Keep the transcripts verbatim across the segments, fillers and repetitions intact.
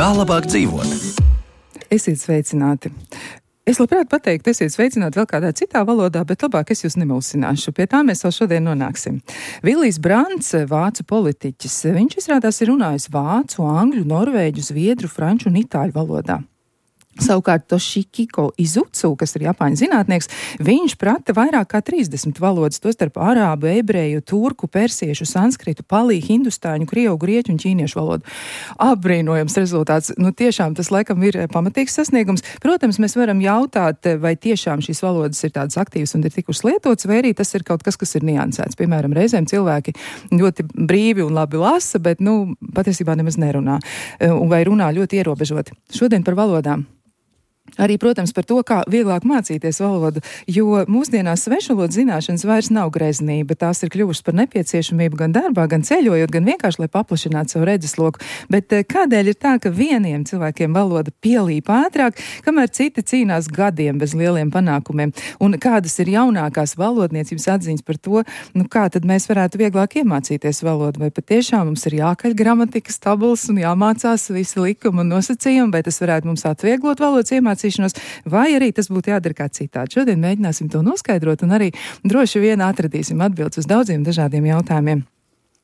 Kā labāk dzīvot? Esiet sveicināti! Es labprāt pateiktu, esiet sveicināti vēl kādā citā valodā, bet labāk es jūs nemulsināšu. Pie tā mēs vēl šodien nonāksim. Vilijs Brants, vācu politiķis, viņš izrādās ir runājis vācu, angļu, norvēģu, zviedru, franču un itāļu valodā. Savukārt Toshikiko Izucu, kas ir Japāņu zinātnieks, viņš prata vairāk kā trīsdesmit valodas, tostarp arābu, ebreju, turku, persiešu, sanskritu, palī, hindustāņu, krievu, grieķu un ķīniešu valodu. Apbrīnojams rezultāts. Nu, tiešām tas laikam ir pamatīgs sasniegums. Protams, mēs varam jautāt, vai tiešām šīs valodas ir tādas aktīvas un ir tikušas lietotas, vai arī tas ir kaut kas, kas ir niansēts. Piemēram, reizēm cilvēki ļoti brīvi un labi lasa, bet, nu, patiesībā nemaz nerunā. Vai runā ļoti ierobežoti. Šodien par valodām. Arī, protams, par to, kā vieglāk mācīties valodu, jo mūsdienās svešvalodu zināšanas vairs nav greznība. Tās ir kļuvušas par nepieciešamību gan darbā, gan ceļojot, gan vienkārši, lai paplašinātu savu redzesloku. Bet kādēļ ir tā, ka vieniem cilvēkiem valoda pielīp ātrāk, kamēr citi cīnās gadiem bez lieliem panākumiem? Un kādas ir jaunākās valodniecības atziņas par to, nu kā tad mēs varētu vieglāk iemācīties valodu? Vai patiešām mums ir jākaļ gramatikas tabulas un jāmācās visi likumi un nosacījumi, vai tas varētu mums atvieglot valodas iemācīšanos? Vai arī tas būtu jādara kā citādi. Šodien mēģināsim to noskaidrot un arī droši vien atradīsim atbildes uz daudziem dažādiem jautājumiem.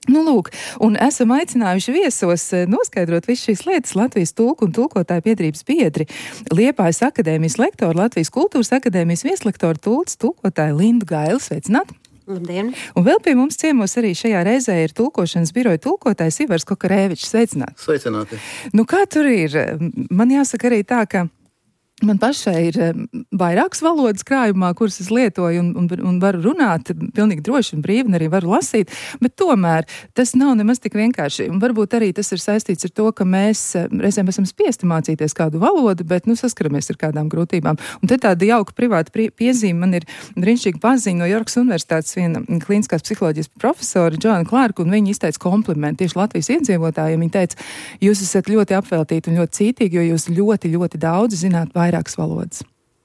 Nu, lūk, un esam aicinājuši viesos noskaidrot visu šīs lietas Latvijas tulku un tulkotāju biedrības biedri, Liepājas akadēmijas lektoru, Latvijas kultūras akadēmijas vieslektoru tulks, tulkotāju Lindu Gailu. Sveicināt! Labdien! Un vēl pie mums ciemos arī šajā reizē ir tulkošanas biroja tulkotājs Ivars Kokarēvičs. Sveicināt! Sveicināti! Nu, kā tur ir? Man jāsaka arī tā, ka man pašai ir vairākas valodas krājumā, kuras es lietoju un, un, un varu runāt pilnīgi droši un brīvi un arī varu lasīt, bet tomēr tas nav nemaz tik vienkārši. Un varbūt arī tas ir saistīts ar to, ka mēs reizēm esam spiesti mācīties kādu valodu, bet nu saskaramies ar kādām grūtībām. Un te tāda jauka privāta piezīme man ir brīnišķīga paziņa no Jorkas Universitātes viena klīniskās psiholoģijas profesora Džoana Klārka, un viņa izteica komplimentu tieši Latvijas iedzīvotājiem. Viņa teica, jūs esat ļoti apveltīti un ļoti cītīgi, jo jūs ļoti, ļoti daudz zināt vairākas valodas.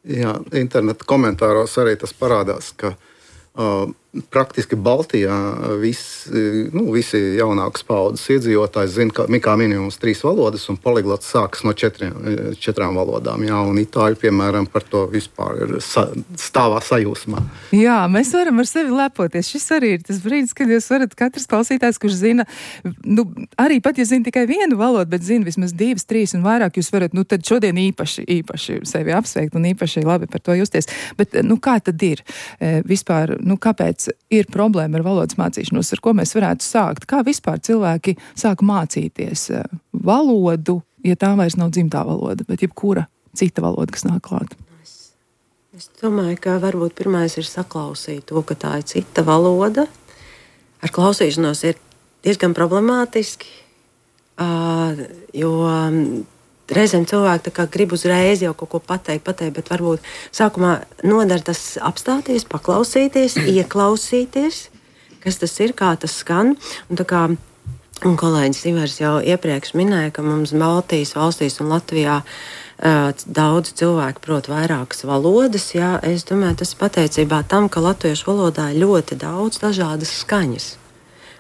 Jā, interneta komentāros arī tas parādās, ka uh, praktiski Baltijā visi, nu, visi jaunākas paudzes iedzīvotāji zina, ka kā minimums trīs valodas, un poliglots sākas no četriem, četrām valodām. Jā, un itāļi, piemēram, par to vispār ir sa, stāvā sajūsmā. Jā, mēs varam ar sevi lepoties. Šis arī ir tas brīdis, kad jūs varat katrs klausītājs, kurš zina, nu, arī pat, ja zina tikai vienu valodu, bet zina vismaz divas, trīs un vairāk, jūs varat, nu, tad šodien īpaši, īpaši sevi apsveikt un īpaši labi par to justies. Bet, nu, kā tad ir? E, vispār, nu, kāpēc ir problēma ar valodas mācīšanos, ar ko mēs varētu sākt? Kā vispār cilvēki sāk mācīties valodu, ja tā vairs nav dzimtā valoda, bet jebkura cita valoda, kas nāk klāt? Es, es domāju, ka varbūt pirmais ir saklausīt to, ka tā ir cita valoda. Ar klausīšanos ir diezgan problemātiski, uh, jo reizēm cilvēki tā kā grib uzreiz jau kaut ko pateikt, pateikt, bet varbūt sākumā nodara tas apstāties, paklausīties, ieklausīties, kas tas ir, kā tas skan. Un tā kā un kolēģis Ivars jau iepriekš minēja, ka mums Baltijas valstīs un Latvijā uh, daudz cilvēku prot vairākas valodas. Jā, es domāju, tas pateicībā tam, ka latviešu valodā ir ļoti daudz dažādas skaņas,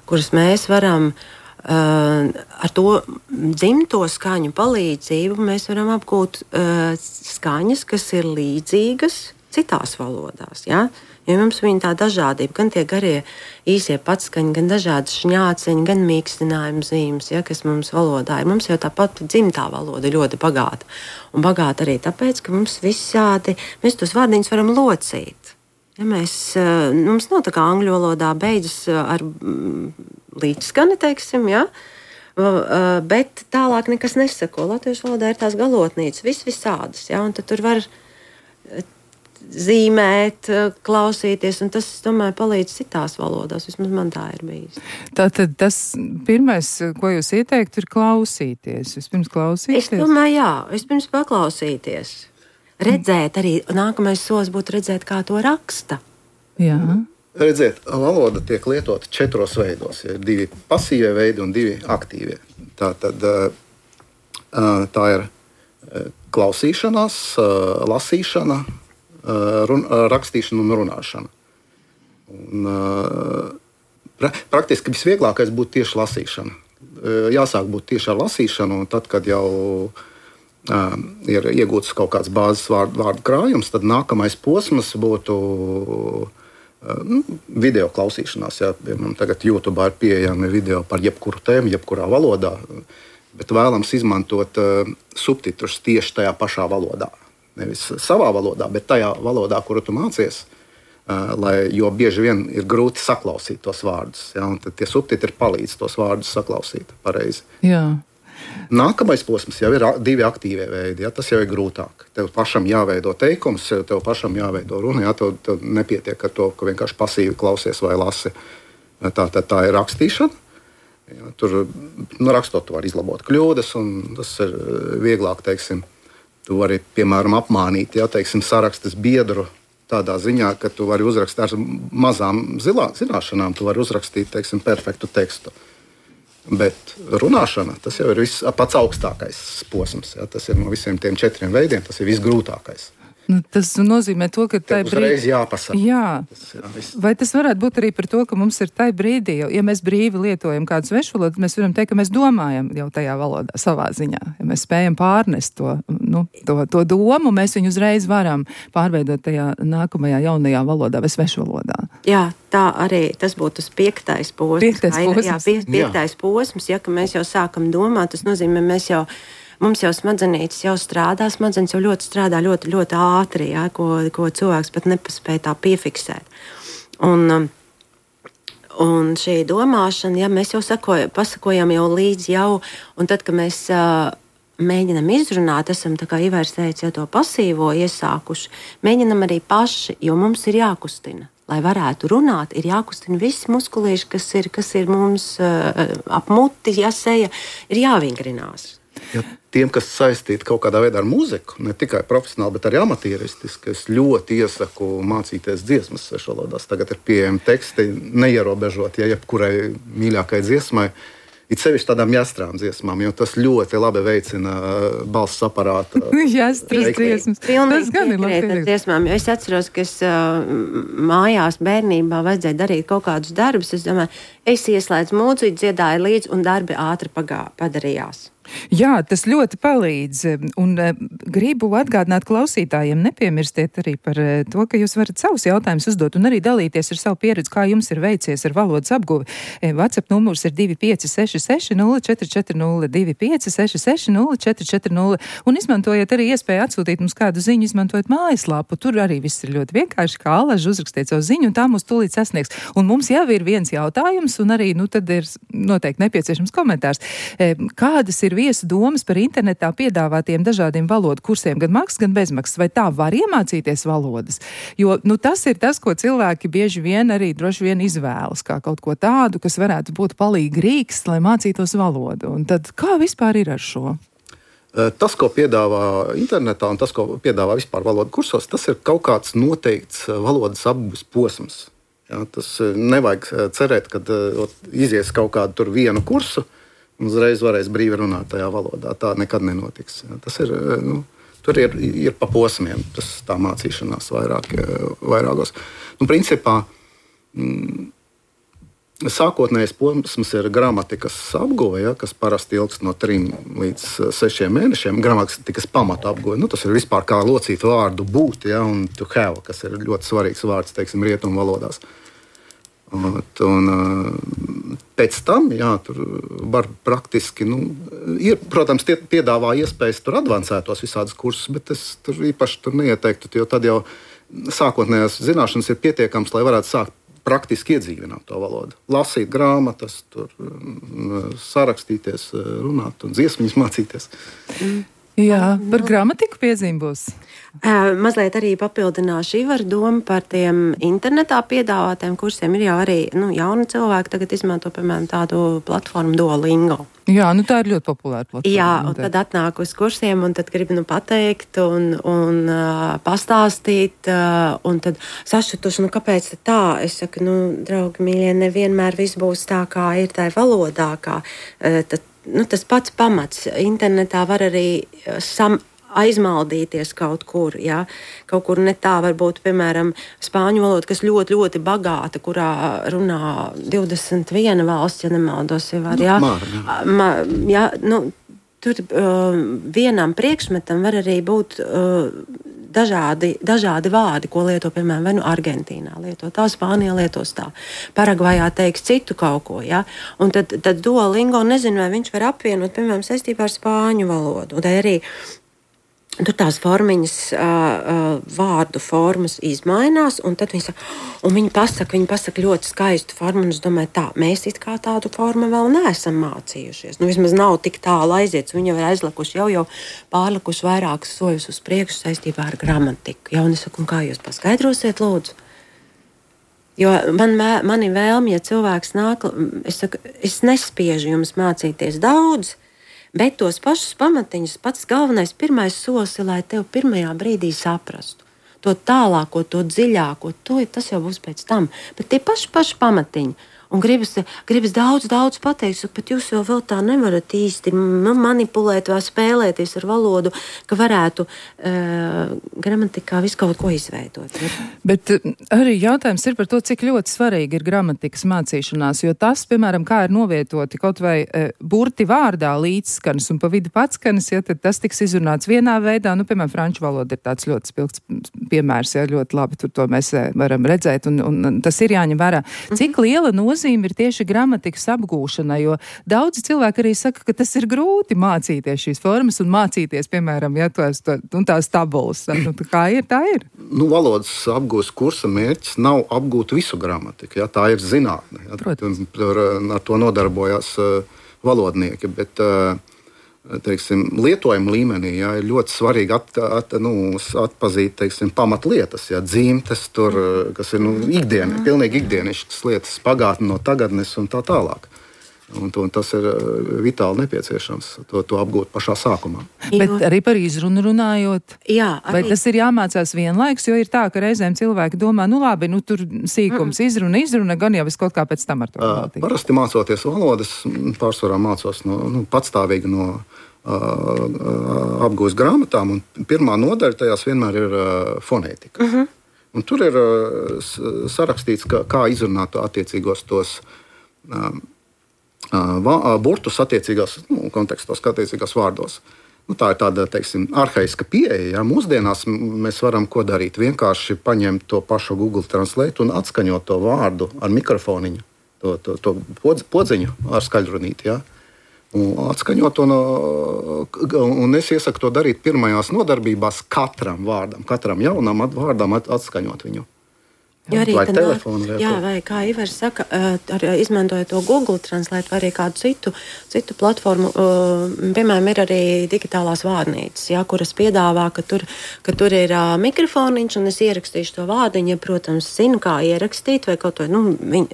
kuras mēs varam Uh, ar to dzimto skaņu palīdzību mēs varam apgūt uh, skaņas, kas ir līdzīgas citās valodās. Ja? Jo mums viņa tā dažādība, gan tie garie īsie patskaņi, gan dažādas šņāceņi, gan mīkstinājuma zīmes, ja, kas mums valodā ir. Mums jau tāpat dzimtā valoda ļoti bagāta. Un bagāta arī tāpēc, ka mums visādi, mēs tos vārdiņus varam locīt. Ja mēs, mums nav tā kā angļu valodā beidzas ar līdzskani, teiksim, ja? Bet tālāk nekas nesako. Latviešu valodā ir tās galotnīcas, vis visādas, ja? Un tad tur var zīmēt, klausīties, un tas, es domāju, palīdz citās valodās. Vismaz man tā ir bijis. Tātad tas pirmais, ko jūs ieteiktu, ir klausīties. Vispirms klausīties? Es domāju, jā, vispirms paklausīties. Redzēt arī, nākamais solis būtu redzēt, kā to raksta. Jā. Redziet, valoda tiek lietota četros veidos. Ir divi pasīvie veidi un divi aktīvie. Tā tad tā ir klausīšanās, lasīšana, run, rakstīšana un runāšana. Un, pra, praktiski visvieglākais būtu tieši lasīšana. jāsāk būt tieši ar lasīšanu, un tad, kad jau uh, ir iegūts kaut kāds bāzes vārdu, vārdu krājums, tad nākamais posms būtu uh, nu, video klausīšanās. Jā. Piemēram, tagad YouTube ir pieejami video par jebkuru tēmu, jebkurā valodā, bet vēlams izmantot uh, subtitrus tieši tajā pašā valodā. Nevis savā valodā, bet tajā valodā, kuru tu mācies. Uh, lai, jo bieži vien ir grūti saklausīt tos vārdus. Ja, un tad tie subtitri palīdz tos vārdus saklausīt pareizi. Jā. Nākamais posms jau ir divi aktīvie veidi. Ja, tas jau ir grūtāk. Tev pašam jāveido teikums, tev pašam jāveido runa. Ja, tev, tev nepietiek ar to, ka vienkārši pasīvi klausies vai lasi. Tā, tā, tā ir rakstīšana. Ja, tur nu, rakstot, tu vari izlabot kļūdas, un tas ir vieglāk, teiksim. Tu vari, piemēram, apmānīt, ja, teiksim, sarakstas biedru. Tādā ziņā, ka tu vari uzrakstīt ar mazām zilā, zināšanām, tu vari uzrakstīt, teiksim, perfektu tekstu. Bet runāšana, tas jau ir viss, pats augstākais posms. Ja? Tas ir no visiem tiem četriem veidiem, tas ir visgrūtākais. Nu, tas nozīmē to, ka tai brīdī jāpasaka. Jā. Tas ir, vai tas varētu būt arī par to, ka mums ir tai brīdī, jo, ja mēs brīvi lietojam kādu svešu valodu, mēs varam teikt, ka mēs domājam jau tajā valodā savā ziņā. Ja mēs spējam pārnest to, nu, to, to domu, mēs viņu uzreiz varam pārveidot tajā nākamajā jaunajā valodā vai svešu valodā. Jā, tā arī tas būtu tas piektais posms. Piektais posms. Jā, pie, piektais jā. posms, ja ka mēs jau sākam domāt, tas nozīmē, mēs jau Mums jau smadzenītes jau strādā, smadzenes jau ļoti strādā ļoti, ļoti ātri, ja, ko, ko cilvēks pat nepaspēja tā piefiksēt. Un, un šī domāšana, ja mēs jau sakojam, pasakojam jau līdz jau, un tad, kad mēs uh, mēģinam izrunāt, esam tā kā Ivairs teica, ja to pasīvo iesākuši, mēģinam arī paši, jo mums ir jākustina. Lai varētu runāt, ir jākustina visi muskulīši, kas ir, kas ir mums uh, ap muti, ja seja, ir jāvingrinās. Ja tiem, kas saistīti kaut kādā veidā ar mūziku, ne tikai profesionāli, bet arī amatīristiski, es ļoti iesaku mācīties dziesmas svešu valodās. Tagad ir pieejami teksti, neierobežot, ja jebkurai mīļākai dziesmai, it sevišķi tādām jāstrām dziesmām, jo tas ļoti labi veicina balss aparātu. Jāstras dziesmas. Tas gan ir labi dziesmām, jo es atceros, ka es uh, mājās bērnībā vajadzēja darīt kaut kādus darbus. Es domāju, es ieslēdzu mūziku, dziedāju līdzi un darbi ātri pagā, padarījās. Jā, tas ļoti palīdz, un uh, gribu atgādināt klausītājiem, nepiemirstiet arī par uh, to, ka jūs varat savus jautājumus uzdot un arī dalīties ar savu pieredzi, kā jums ir veicies ar valodas apguvi. E, WhatsApp numurs ir divi pieci seši seši nulle četri četri nulle, divi pieci seši seši nulle četri četri nulle, un izmantojiet arī iespēju atsūtīt mums kādu ziņu, izmantojot mājaslapu. Tur arī viss ir ļoti vienkārši, kā alaži uzrakstiet savu ziņu, un tā mūs tūlīt sasniegs. Un mums jau ir viens jautājums, un arī, nu, tad ir noteikti nepieciešams komentārs. E, kādas ir viesu domas par internetā piedāvātiem dažādiem valodu kursiem, gan maksas, gan bezmaksas, vai tā var iemācīties valodas? Jo, nu, tas ir tas, ko cilvēki bieži vien arī droši vien izvēlas, kā kaut ko tādu, kas varētu būt palīgi rīks, lai mācītos valodu. Un tad kā vispār ir ar šo? Tas, ko piedāvā internetā un tas, ko piedāvā vispār valodu kursos, tas ir kaut kāds noteikts valodas apgūves posms. Ja, tas nevajag cerēt, ka izies kaut kādu tur vienu kursu, un uzreiz varēs brīvi runāt tajā valodā. Tā nekad nenotiks. Tas ir, nu, tur ir, ir pa posmiem, tas tā mācīšanās vairāk, vairākos. Nu, principā, mm, sākotnējais posms ir gramatikas apguve, ja, kas parasti ilgst no trim līdz sešiem mēnešiem. Gramatikas pamata apguve. Nu, tas ir vispār kā locīt vārdu būt, ja, un to have, kas ir ļoti svarīgs vārds, teiksim, rietumu valodās. Un, un pēc tam, jā, tur var praktiski, nu, ir, protams, tie piedāvā iespējas tur advancētos visādus kursus, bet es tur īpaši tur neieteiktu, jo tad jau sākotnējās zināšanas ir pietiekams, lai varētu sākt praktiski iedzīvināt to valodu. Lasīt grāmatas, tur sarakstīties, runāt un dziesmiņas mācīties. Mm. Jā, par gramatiku piezīme būs. Uh, mazliet arī papildināšu Ivaru domu par tiem internetā piedāvātiem kursiem. Ir jau arī nu, jauni cilvēki tagad izmanto, piemēram, tādu platformu Duolingo. Jā, nu tā ir ļoti populāra platforma. Jā, un tad atnāk uz kursiem un tad grib nu pateikt un, un uh, pastāstīt. Uh, un tad sašutuši, nu kāpēc tā? Es saku, nu, draugi mīļie, nevienmēr viss būs tā, kā ir tai valodā. Kā, uh, tad, nu, tas pats pamats. Internetā var arī sam aizmaldīties kaut kur, jā, kaut kur ne tā, varbūt, piemēram, spāņu valoda, kas ļoti, ļoti bagāta, kurā runā divdesmit viena valsts, ja nemaldos, jau var, jā. Māra, jā. Ma, jā, nu, tur uh, vienam priekšmetam var arī būt uh, dažādi, dažādi vārdi, ko lieto, piemēram, vai nu Argentīnā lieto tā, Spānijā lietos tā, Paragvajā teiks citu kaut ko, ja? Un tad, tad Duolingo, nezinu, vai viņš var apvienot, piemēram, saistībā ar spāņu valodu, un tā arī tur tās formiņas, uh, uh, vārdu formas izmainās, un tad viņi saka, un viņi pasaka, viņi pasaka ļoti skaistu formu, un es domāju, tā, mēs it kā tādu formu vēl neesam mācījušies. Nu, vismaz nav tik tālu aiziets, viņi jau ir aizlikuši, jau jau pārlikuši vairākas soļus uz priekšu saistībā ar gramatiku. Ja, un es saku, un kā jūs paskaidrosiet, lūdzu? Jo man, mani vēlmi, ja cilvēks nāk, es saku, es nespiežu jums mācīties daudz, bet tos pašus pamatiņus, pats galvenais, pirmais solis ir, lai tev pirmajā brīdī saprastu. To tālāko, to dziļāko, to, tas jau būs pēc tam. Bet tie paši, paši pamatiņi. Un gribas, gribas daudz, daudz pateikt, bet jūs jau vēl tā nevarat īsti manipulēt vai spēlēties ar valodu, ka varētu uh, gramatikā visu kaut ko izveidot. Ja? Bet arī jautājums ir par to, cik ļoti svarīgi ir gramatikas mācīšanās, jo tas, piemēram, kā ir novietoti kaut vai uh, burti vārdā līdzskanas un pa vidu patskanas, ja tad tas tiks izrunāts vienā veidā, nu, piemēram, franču valoda ir tāds ļoti spilgts piemērs, ja ļoti labi tur to mēs varam redzēt, un, un tas ir jāņem vērā. Cik liela nozīme ir tieši gramatikas apgūšana, jo daudzi cilvēki arī saka, ka tas ir grūti mācīties šīs formas un mācīties, piemēram, ja tos, to, un tās tabulas. Nu, kā ir, tā ir? Nu, valodas apgūst kursa mērķis nav apgūt visu gramatiku, ja, tā ir zinātne. Ja, Protams. Tur, ar to nodarbojās uh, valodnieki, bet uh, teiksim, lietojuma līmenī ja, ir ļoti svarīgi at, at, nu, atpazīt teiksim, pamatlietas, ja, dzīmtes, tur, kas ir nu, ikdiena, pilnīgi ikdienišķas lietas, pagātne no tagadnes un tā tālāk. Un, un tas ir vitāli nepieciešams to, to apgūt pašā sākumā. Bet arī par izrunu runājot, jā, vai tas ir jāmācās vienlaiks, jo ir tā, ka reizēm cilvēki domā, nu labi, nu tur sīkums, mm. izruna, izruna, gan jau es kaut kā pēc tam ar to valtīju. Parasti mācoties valodas, pārsvarā mācos no, nu, patstāvīgi no uh, apgūst grāmatām, un pirmā nodaļa tajās vienmēr ir uh, fonētika. Mm-hmm. Un tur ir uh, sarakstīts, ka, kā izrunāt attiecīgos tos uh, burtus attiecīgās nu, kontekstos, attiecīgās vārdos. Nu, tā ir tāda, teiksim, arhaiska pieeja. Ja? Mūsdienās mēs varam ko darīt? Vienkārši paņemt to pašu Google Translate un atskaņot to vārdu ar mikrofoniņu, to, to, to podziņu ar skaļrunīti. Ja? Un atskaņot to, no, un es iesaku to darīt pirmajās nodarbībās katram vārdam, katram jaunam vārdam atskaņot viņu. Jo arī vai tā, telefonu, vai, jā, vai kā Ivars saka, ar, izmantojot to Google Translate vai arī kādu citu, citu platformu, piemēram, ir arī digitālās vārnīcas, jā, kuras piedāvā, ka tur, ka tur ir uh, mikrofoniņš un es ierakstīšu to vārdiņu, ja, protams, zinu, kā ierakstīt vai kaut ko, nu, viņ,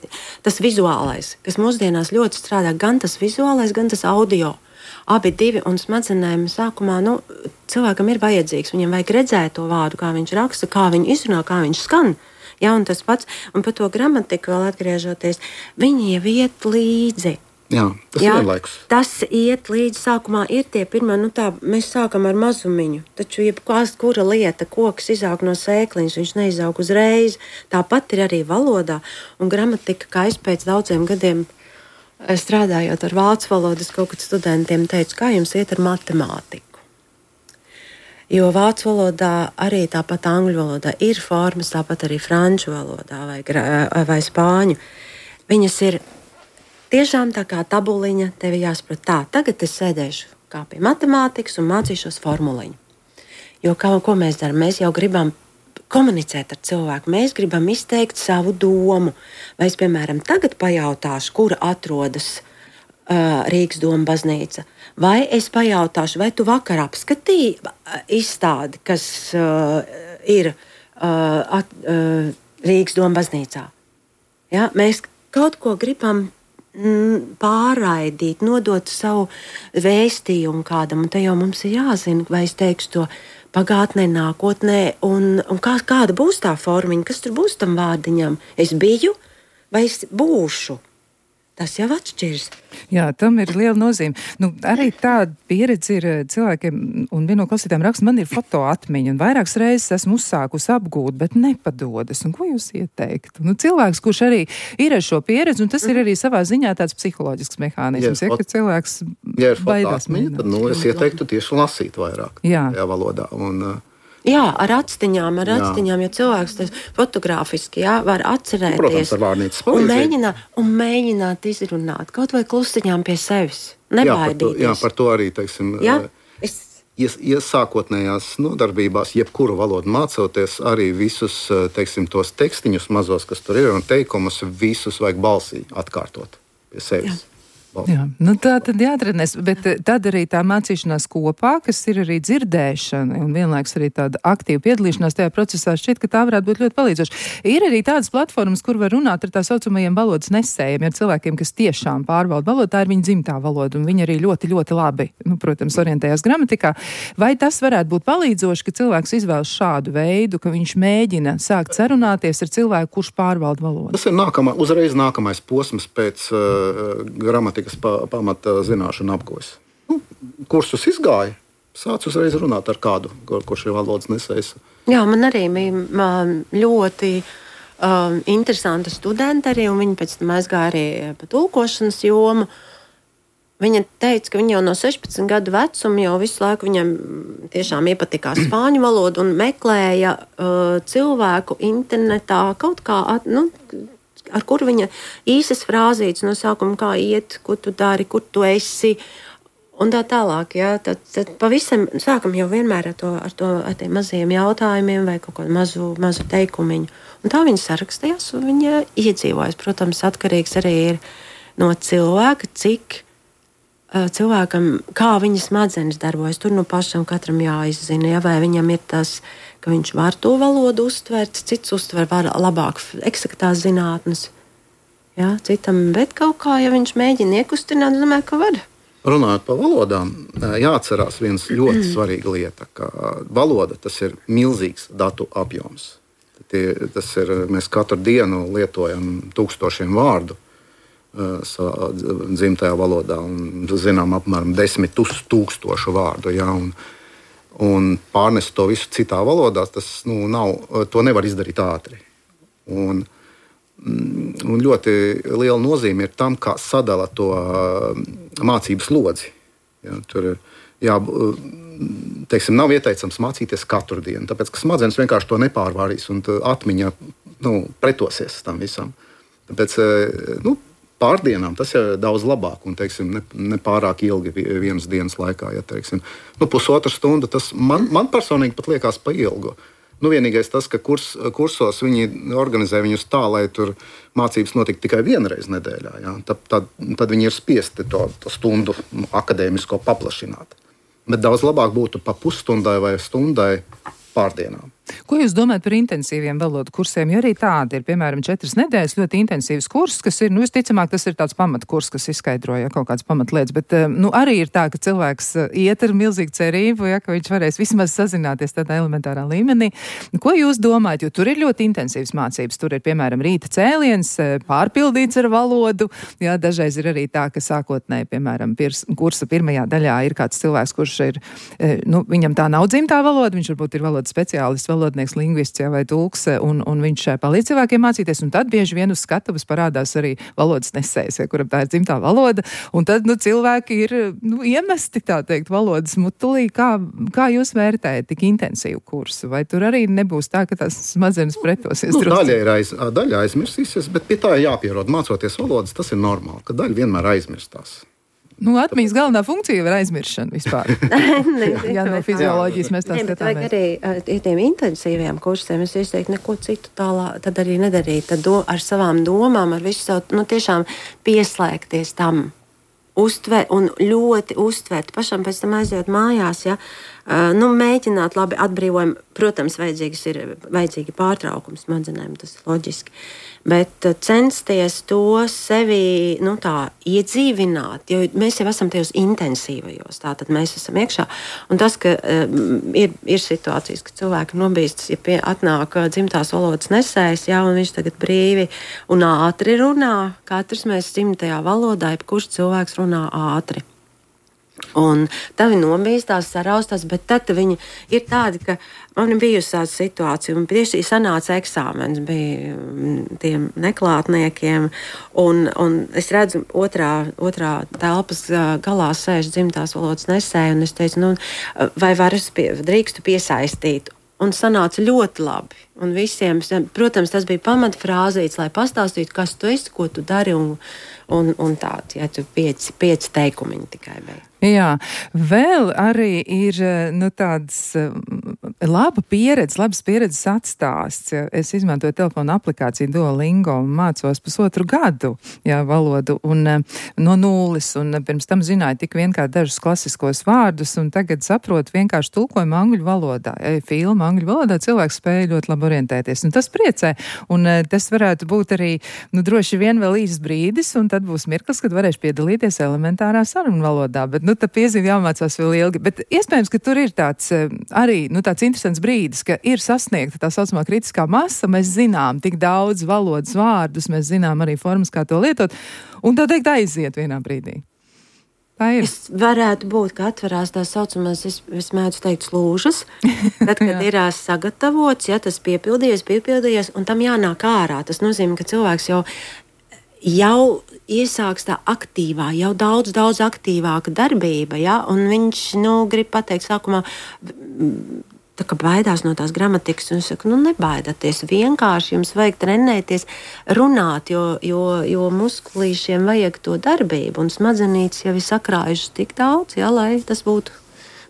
tas vizuālais, kas mūsdienās ļoti strādā, gan tas vizuālais, gan tas audio. Abi divi un smadzenēm sākumā, nu, cilvēkam ir vajadzīgs, viņam vajag redzēt to vārdu, kā viņš raksta, kā viņu izrunā, kā viņš skan. Ja, un tas pats, un par to gramatiku vēl atgriežoties, viņi jau iet līdzi. Jā, tas jā, ir vienlaikus. Tas iet līdzi, sākumā ir tie pirmie, nu tā, mēs sākam ar mazumiņu, taču jebkās kura lieta, koks izaug no sēkliņas, viņš neizaug uzreiz, tāpat ir arī valodā, un gramatika, kā es pēc daudziem gadiem strādājot ar vācu valodas, kaut kad studentiem teicu, kā jums iet ar matemātiku. Jo vācu valodā, arī tāpat angļu valodā ir formas, tāpat arī franču valodā vai, vai spāņu. Viņas ir tiešām tā kā tabuliņa, tevi jāsaprot tā. Tagad es sēdēšu kā pie matemātikas un mācīšos formuliņu. Jo kā, ko mēs darām? Mēs jau gribam komunicēt ar cilvēku, mēs gribam izteikt savu domu. Vai es, piemēram, tagad pajautāšu, kur atrodas uh, Rīgas Doma baznīca, vai es pajautāšu, vai tu vakar apskatīji izstādi, kas uh, ir uh, at, uh, Rīgas Doma baznīcā. Ja? Mēs kaut ko gribam mm, pārraidīt, nodot savu vēstījumu kādam, un te jau mums ir jāzina, vai es teikšu to pagātnē, nākotnē, un, un kā, kāda būs tā formiņa, kas tur būs tam vārdiņam. Es biju vai es būšu? tas jau atšķiras. Jā, tam ir liela nozīme. Nu, arī tāda pieredze ir cilvēkiem, un viena no klausītājiem raksta, man ir fotoatmiņa, un vairākas reizes esmu uzsākusi apgūt, bet nepadodas. Un ko jūs ieteiktu? Nu, cilvēks, kurš arī ir ar šo pieredzi, un tas mm. ir arī savā ziņā tāds psiholoģisks mehānisms, ja, ja, ka cilvēks ja ir baidās. Atmiņa, tad, nu, es ieteiktu tieši lasīt vairāk Jā. tajā valodā. Un, Jā, ar atstiņām, ar atstiņām, jo cilvēks tas fotogrāfiski, jā, var atcerēties. Protams, ar vārnītes un mēģināt, un mēģināt izrunāt, kaut vai klustiņām pie sevis. Nebaidīties. Jā, par to, jā, par to arī, teiksim, jā, es... ies, iesākotnējās nodarbībās, jebkuru valodu mācoties, arī visus, teiksim, tos tekstiņus mazos, kas tur ir, un teikumus, visus vajag balsī atkārtot pie sevis. Jā. Jā, nu tā tad jāatrenēs, bet tad arī tā mācīšanās kopā, kas ir arī dzirdēšana un vienlaiks arī tāda aktīva piedalīšanās tajā procesā, šķiet, ka tā varētu būt ļoti palīdzoša. Ir arī tādas platformas, kur var runāt ar tā saucamajiem valodas nesējiem, ar cilvēkiem, kas tiešām pārvalda valodu, tā ir viņa dzimtā valoda, un viņi arī ļoti, ļoti labi, nu, protams, orientējās gramatikā. Vai tas varētu būt palīdzoši, ka cilvēks izvēlas šādu veidu, ka viņš mēģina sākt sarunāties ar cilvēku, kurš pārvalda valodu? Tas ir nākamā, uzreiz nākamais posms pēc uh, gramatikas kas pa, pamata zināšanu apgūs. Nu, kursus izgāja, sāc uzreiz runāt ar kādu, kur, kurš ir valodas nesējs. Jā, man arī bija ļoti um, interesanta studenta arī, un viņa pēc tam aizgāja arī pa tulkošanas jomu. Viņa teica, ka viņa jau no sešpadsmit gadu vecuma jau visu laiku viņam tiešām iepatikās spāņu valodu un meklēja uh, cilvēku internetā kaut kā, at, nu, ar kuru viņa īsas frāzītes no sākuma, kā iet, ko tu dari, kur tu esi, un tā tālāk. Jā, tad, tad pavisam sākam jau vienmēr ar, to, ar, to, ar tiem maziem jautājumiem vai kaut kādu mazu, mazu teikumiņu. Un tā viņa sarakstījās un viņa iedzīvojas. Protams, atkarīgs arī ir no cilvēka, cik uh, cilvēkam, kā viņa smadzenes darbojas. Tur no pašam katram jāizzina, ja, vai viņam ir tas, ka viņš var to valodu uztvert, cits uztver var labāk eksaktās zinātnes. Jā, citam, bet kaut kā, ja viņš mēģina iekustināt, domāju, ka var. Runājot par valodām, jāatcerās viens ļoti mm. svarīga lieta, ka valoda tas ir milzīgs datu apjoms. Tas ir, mēs katru dienu lietojam tūkstošiem vārdu savā dzimtajā valodā un zinām apmēram desmit tūkstošu vārdu. Jā, un, Un pārnest to visu citā valodā, tas nu, nav, to nevar izdarīt ātri. Un, un ļoti liela nozīme ir tam, kā sadala to mācību slodzi. Ja, tur jā, teiksim, nav ieteicams mācīties katru dienu, tāpēc ka smadzenes vienkārši to nepārvarīs un atmiņa nu, pretosies tam visam. Tāpēc, nu, pārdienām tas ir daudz labāk un teiksim, ne, ne pārāk ilgi vienas dienas laikā. Ja, teiksim, nu, pusotra stunda, tas man, man personīgi pat liekas pa ilgu. Nu, vienīgais tas, ka kurs, kursos viņi organizē viņus tā, lai tur mācības notiktu tikai vienreiz nedēļā. Ja, tad, tad, tad viņi ir spiesti to, to stundu akadēmisko paplašināt. Bet daudz labāk būtu pa pusstundai vai stundai pārdienām. Ko jūs domājat par intensīviem valodu kursiem? Jo arī tādi ir, piemēram, četras nedēļas ļoti intensīvs kurs, kas ir, nu, visticamāk, tas ir tāds pamatkurs, kas izskaidroja kaut kādas pamatlietas, bet, nu, arī ir tā, ka cilvēks iet ar milzīgu cerību, ja, ka viņš varēs vismaz sazināties tādā elementārā līmenī. Ko jūs domājat? Jo tur ir ļoti intensīvs mācības. Tur ir, piemēram, rīta cēliens, pārpildīts ar valodu. Jā, dažreiz ir arī tā, ka sākotnēji, piemēram, pirs, kursa pirmajā daļā ir kāds cilvēks, kurš ir, nu, viņam tā nav dzimtā valoda, viņš varbūt ir valodas speciālists, valodnieks, lingvists ja, vai tulks, un, un viņš palīdz cilvēkiem mācīties, un tad bieži vien uz skatuves parādās arī valodas nesējs, ja, kuram tā ir dzimtā valoda, un tad, nu, cilvēki ir, nu, iemesti, tā teikt, valodas mutulī. Kā, kā jūs vērtējat tik intensīvu kursu? Vai tur arī nebūs tā, ka tās smadzenes pretosies? Nu, daļa ir aiz, daļa aizmirsīsies, bet pie tā jāpierod. Mācoties valodas, tas ir normāli, ka daļa vienmēr aizmirstās. Nu, atmiņas galvenā funkcija ir aizmiršana vispār. Jā, no fizioloģijas mēs tā skatāmies. Arī ar tiem intensīviem kursiem es ieteiktu neko citu tālāk, tad arī nedarīt. Tad do, ar savām domām, ar visu savu, nu, tiešām pieslēgties tam. Uztver un ļoti uztvert. Pašam pēc tam aiziet mājās, ja, nu, mēģināt labi atbrīvojumu. Protams, vajadzīgs ir vajadzīgi pārtraukums smadzenēm, tas ir loģiski. Bet censties to sevi nu, tā, iedzīvināt, jo mēs jau esam tajos intensīvajos, tātad mēs esam iekšā. Un tas, ka um, ir, ir situācijas, ka cilvēki nobīstas, ja pie, atnāk dzimtās valodas nesējs, jā, un viņš tagad brīvi un ātri runā. Katrs mēs dzimtajā valodā, jebkurš cilvēks runā ātri. Un tā viņi nobīstās, saraustās, bet tad viņi ir tādi, ka man ir bijusi tāda situācija, un tieši sanāca eksāmens, bija tiem neklātniekiem, un, un es redzu, otrā, otrā telpas galā sēž dzimtās valodas nesēja, un es teicu, nu, vai var es pie, drīkstu piesaistīt? Un sanāca ļoti labi. Un visiem, protams, tas bija pamatfrāzīts, lai pastāstītu, kas tu esi, ko tu dari, un, un, un tāds, ja tu pieci, pieci teikumiņi tikai bija. Jā, vēl arī ir nu, tāds laba pieredze, labas pieredzes atstāsts. Es izmantoju telefonu aplikāciju Duolingo un mācos pusotru gadu jā, valodu un no nulles. Un pirms tam zināju tik vien kā dažus klasiskos vārdus un tagad saprotu vienkārši tulkojumu angļu valodā. Ja filma angļu valodā cilvēks spēja ļoti labi orientēties. Un tas priecē. Un tas varētu būt arī nu, droši vien vēl īsts brīdis un tad būs mirklis, kad varēšu piedalīties elementārā sarunu valodā. Bet, nu, tā piezīme jāmācās vēl ilgi, bet iespējams, ka tur ir tāds arī, nu, tāds interesants brīdis, ka ir sasniegta tā saucamā kritiskā masa, mēs zinām tik daudz valodas vārdus, mēs zinām arī formas, kā to lietot, un tā teikt aiziet vienā brīdī. Tā ir. Es varētu būt, ka atverās tā saucamās, es, es mēdzu teikt, slūžas, tad, kad ir sagatavots, ja tas piepildījies, piepildījies, un tam jānāk ārā. Tas nozīmē, ka cilvēks jau jau iesāks tā aktīvā, jau daudz, daudz aktīvāka darbība, ja? Un viņš, nu, grib pateikt sākumā, tā kā baidās no tās gramatikas, un es saku, nu, nebaidāties, vienkārši jums vajag trenēties, runāt, jo, jo, jo muskulīšiem vajag to darbību, un smadzenītes jau ir sakrājušas tik daudz, ja, lai tas būtu.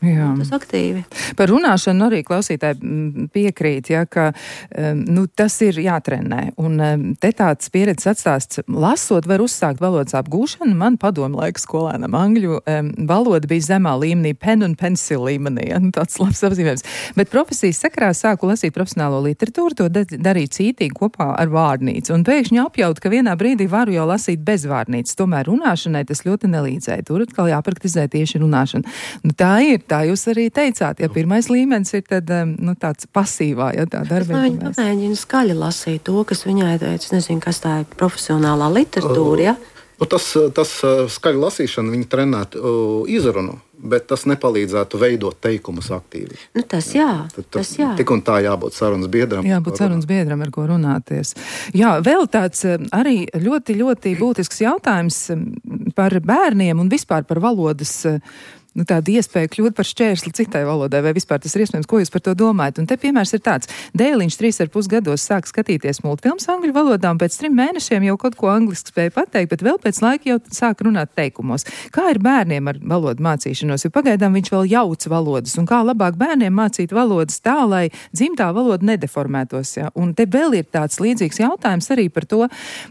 Jā. Tas aktīvi. Par runāšanu arī klausītāji piekrīt, ja, ka nu, tas ir jātrenē. Un te tāds pieredzes atstāsts, lasot, var uzsākt valodas apgūšanu. Man padomu laiku skolēnam angļu um, valoda bija zemā līmenī, pen un pencil līmenī. Ja, nu, tāds labs apzīmējums. Bet profesijas sakarā sāku lasīt profesionālo literatūru, to darīt cītīgi kopā ar vārnīcu. Un pēkšņi apjaut, ka vienā brīdī varu jau lasīt bez vārnīcas. Tomēr runāšanai tas ļoti nelīdzēja. Tur atkal jāpraktizē tieši runāšana. Nu, tā ir. Tā jūs arī teicāt, ja pirmais līmenis ir tad, nu, tāds pasīvā, ja tā darbība. Es viņa pamēģina skaļi lasīt to, kas viņai teica, es nezinu, kas tā ir profesionālā literatūra, ja? Uh, tas, tas skaļi lasīšana viņa trenētu uh, izrunu, bet tas nepalīdzētu veidot teikumus aktīvi. Nu, tas jā, tad, tas jā. Tik un tā jābūt sarunas biedram. Jābūt sarunas biedram, ar ko runāties. Jā, vēl tāds arī ļoti, ļoti būtisks jautājums par bērniem un vispār par valodas nu, tāda iespēja kļūt par šķērsli citai valodai, vai vispār tas ir iespējams, ko jūs par to domājat? Un te piemērs ir tāds. Dēliņš trīs ar pus gados sāk skatīties multfilmas angļu valodā, un pēc trim mēnešiem jau kaut ko angliski spēja pateikt, bet vēl pēc laika jau sāk runāt teikumos. Kā ir bērniem ar valodu mācīšanos? Jo pagaidām viņš vēl jauc valodas, un kā labāk bērniem mācīt valodas tā, lai dzimtā valoda nedeformētos. Ja? Un te vēl ir tāds līdzīgs jautājums arī par to,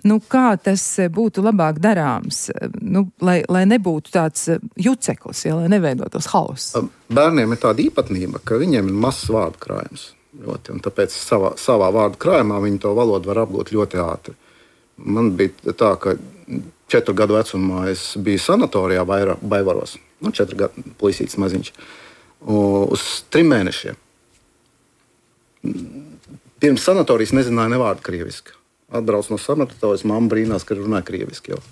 nu, kā tas būtu labāk darāms, nu, lai, lai nebūtu tāds juceklis, ja, lai neveidotos hauss. Bērniem ir tāda īpatnība, ka viņiem ir mazs vārdu krājums. Ļoti, un tāpēc savā, savā vārdu krājumā viņi to valodu var apgūt ļoti ātri. Man bija tā, ka četru gadu vecumā es biju sanatorijā Baivaros. Nu, četru gadu puisītis maziņš. Uz trim mēnešiem. Pirms sanatorijas nezināju ne vārdu krieviski. Atbrauc no sanatorijas, mamma brīnās, ka runāja krieviski jau.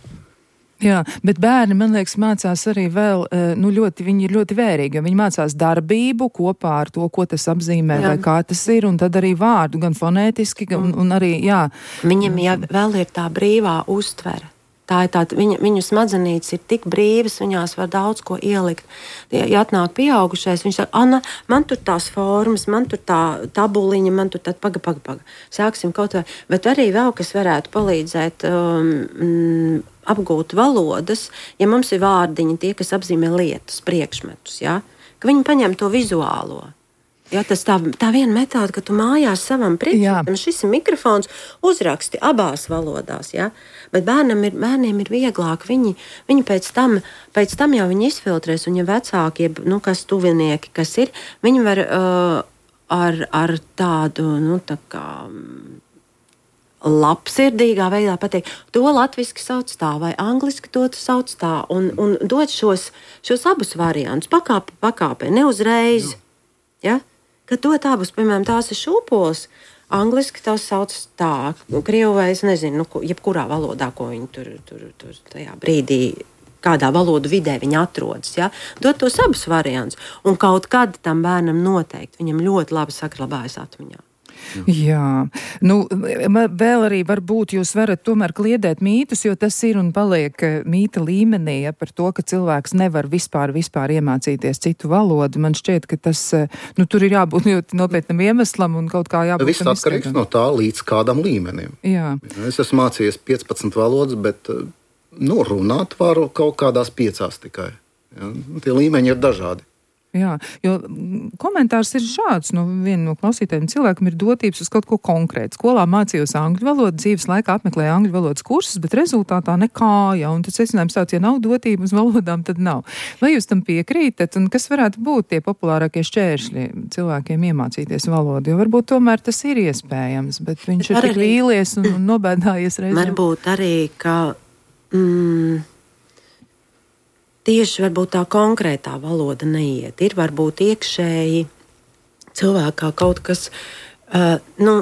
Jā, bet bērni, man liekas, mācās arī vēl, nu, ļoti, viņi ir ļoti vērīgi, jo viņi mācās darbību kopā ar to, ko tas apzīmē, jā. Vai kā tas ir, un tad arī vārdu, gan fonētiski, gan, un, un arī, jā. Viņam jau vēl ir tā brīvā uztvere. Tā ir tāda, viņa, viņu smadzenītes ir tik brīvas, viņās var daudz ko ielikt. Ja atnāk pieaugušais, viņš saka, Anna, man tur tās formas, man tur tā tabuliņa, man tur tā paga, paga, paga. Sāksim kaut vai, bet arī vēl, kas varētu palīdzēt um, apgūt valodas, ja mums ir vārdiņi, tie, kas apzīmē lietas, priekšmetus, ja? Ka viņi paņem to vizuālo. Ja, tas tā, tā viena metode, ka tu mājās savam priekšmetam, šis ir mikrofons, uzraksti abās valodās. Ja? Bet bērnam ir, bērniem ir vieglāk. Viņi, viņi pēc, tam, pēc tam jau viņi izfiltrēs, un ja vecākie, nu, kas tuvinieki, kas ir, viņi var uh, ar, ar tādu, nu, tā kā labsirdīgā veidā pateikt, to latviski sauc tā, vai angliski to sauc tā, un, un dot šos, šos abus variantus, pakāpi, pakāpē, neuzreiz, ja? Kad dot abus, piemēram, tās ir šūpols, angliski tās sauc tā, krievu vai es nezinu, nu, jebkurā valodā, ko viņi tur, tur, tur tajā brīdī, kādā valodu vidē viņi atrodas, ja? Dot tos abus variantus, un kaut kad tam bērnam noteikti, viņam ļoti labi saglabājas atmiņā. Jā, nu, vēl arī varbūt jūs varat tomēr kliedēt mītus, jo tas ir un paliek mīta līmenī, ja, par to, ka cilvēks nevar vispār, vispār iemācīties citu valodu. Man šķiet, ka tas, nu, tur ir jābūt ļoti nopietnam iemeslam un kaut kā jābūt. Viss atkarīgs no tā līdz kādam līmenim. Jā. Es esmu mācījies piecpadsmit valodas, bet, nu, runāt varu kaut kādās piecās tikai. Ja? Tie līmeņi ir dažādi. Jā, jo komentārs ir šāds, nu, viena no klausītājiem cilvēkam ir dotības uz kaut ko konkrētu. Skolā mācījos angļu valodu, dzīves laikā apmeklēju angļu valodas kursus, bet rezultātā nekā, ja, un tad secinājums tāds, ja nav dotība uz valodām, tad nav. Vai jūs tam piekrītat, un kas varētu būt tie populārākie šķēršļi cilvēkiem iemācīties valodu? Jo varbūt tomēr tas ir iespējams, bet viņš ir tik vīlies un, un nobēdājies reizēm. Varbūt arī, ka... Mm, Tieši varbūt tā konkrētā valoda neiet. Ir varbūt iekšēji cilvēkā kaut kas, uh, nu,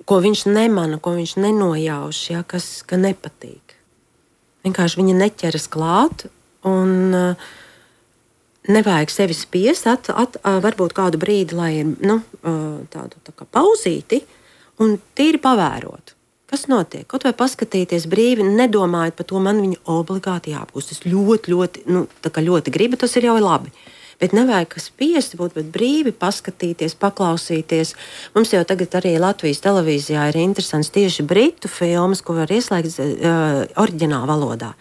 ko viņš nemana, ko viņš nenojauš, ja, kas ka nepatīk. Vienkārši viņa neķeras klāt un uh, nevajag sevi spiest, at, at, uh, varbūt kādu brīdi, lai ir nu, uh, tādu tā kā pauzīti un tīri pavērot. Kas notiek? Kaut vai paskatīties brīvi, nedomājot par to, man viņu obligāti jāapgūst. Es ļoti, ļoti, nu, tā kā ļoti gribu, tas ir jau labi. Bet nevajag kas spiesti būt, bet brīvi paskatīties, paklausīties. Mums jau tagad arī Latvijas televīzijā ir interesants tieši britu filmas, ko var ieslēgt uh, oriģinālā valodā.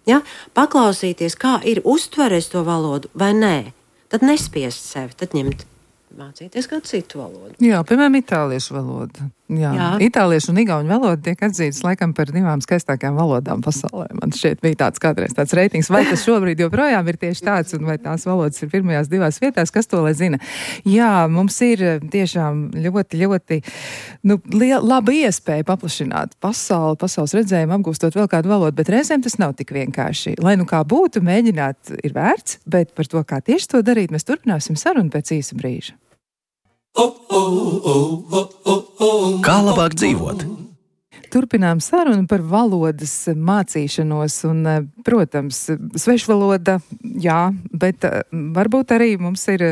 Ja? Paklausīties, kā ir uztverēs to valodu vai nē. Tad nespiest sevi, tad ņemt. Mācīties kādu citu valodu. Jā, piemēram, itāliešu valodu. Jā. Jā. Itāliešu un igauņu valoda tiek atzītas laikam par divām skaistākajām valodām pasaulē. Man šķiet bija tāds kādreiz tāds reitings. Vai tas šobrīd joprojām ir tieši tāds, un vai tās valodas ir pirmajās divās vietās, kas to lai zina? Jā, mums ir tiešām ļoti, ļoti nu, laba iespēja paplašināt pasauli, pasaules redzējumu, apgūstot vēl kādu valodu, bet reizēm tas nav tik vienkārši. Lai nu kā būtu, mēģināt ir vērts, bet par to, kā tieši to darīt, mēs turpināsim sarunu pēc īsa brīža. Kā labāk dzīvot? Turpinām sarunu par valodas mācīšanos un, protams, svešvaloda, jā, bet varbūt arī mums ir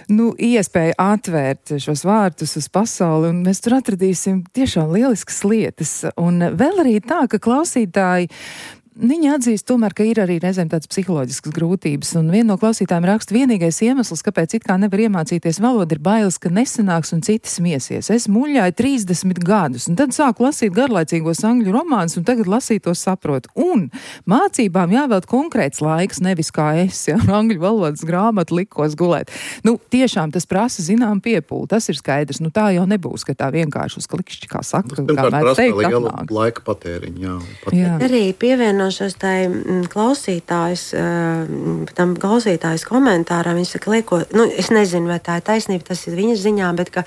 nu, iespēja atvērt šos vārtus uz pasauli, un mēs tur atradīsim tiešām lieliskas lietas. Un vēl arī tā, ka klausītāji viņi atzīst tomēr, ka ir arī reizēm tādas psiholoģiskas grūtības, un viena no klausītājiem raksta, vienīgais iemesls, kāpēc it kā nevar iemācīties valodu, ir bailes, ka nesanāks un citi smiesies. Es muļāju trīsdesmit gadus, un tad sāku lasīt garlaicīgos angļu romānus, un tagad lasīt tos saprotu. Un mācībām jāvēlt konkrēts laiks, nevis kā es, ja, angļu valodas grāmatu likos gulēt. Nu, tiešām tas prasa zinām piepūli, tas ir skaidrs. Nu, tā jau nebūs, ka tā vienkārši uz klikšķi, kā saka, kā mēs teikt, atnāks. Laika patēriņu, jā. Patēriņu. Jā. Arī pievieno tai klausītājs, tam klausītājs komentārā, viņš saka, lieko, nu, es nezinu, vai tā ir taisnība, tas ir viņas ziņā, bet ka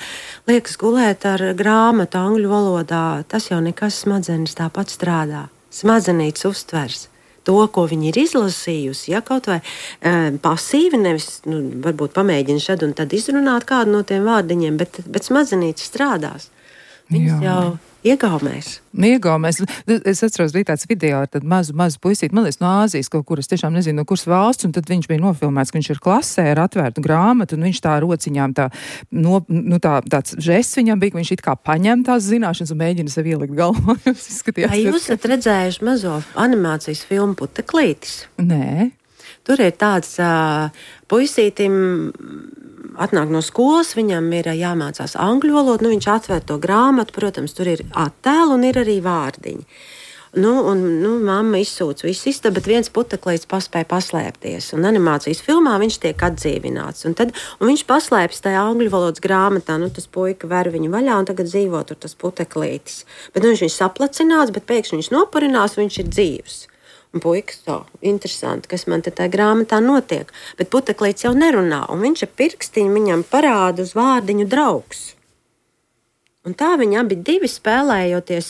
liekas gulēt ar grāmatu angļu valodā, tas jau nekas smadzenes tāpat strādā. Smadzenītes uztvers to, ko viņi ir izlasījusi, ja kaut vai e, pasīvi, nevis, nu, varbūt pamēģina šad un tad izrunāt kādu no tiem vārdiņiem, bet, bet smadzenītes strādās. Viņas jau iegaumēs. Iegaumēs. Es atceros, bija tāds video ar tādu mazu, mazu puisīti, man liekas, no Āzijas kaut kur, es tiešām nezinu, no kuras valsts, un tad viņš bija nofilmēts, ka viņš ir klasē ar atvērtu grāmatu, un viņš tā rociņām tā, no, nu tā, tāds žests viņam bija, ka viņš it kā paņem tās zināšanas un mēģina sev ielikt galvā. Vai jūs esat redzējuši mazo animācijas filmu Puteklītis? Nē. Tur ir tāds uh, puisītim atnāk no skolas, viņam ir jāmācās angļu valodu, nu viņš atver to grāmatu, protams, tur ir attēli un ir arī vārdiņi. Nu, un, nu, mamma izsūca visu istabu, bet viens puteklīts paspēja paslēpties. Un animācijas filmā viņš tiek atdzīvināts. Un, tad, un viņš paslēpjas tajā angļu valodas grāmatā. Nu, tas puika ver viņu vaļā un tagad dzīvo tur tas puteklītis. Bet nu, viņš ir saplacināts, bet pēkšņi viņš nopurinās, viņš ir dzīvs. Un puikas, tā, interesanti, kas man te tajā grāmatā notiek. Bet puteklītis jau nerunā, un viņš ar pirkstiņu viņam parāda uz vārdiņu draugs. Un tā viņi abi divi spēlējoties,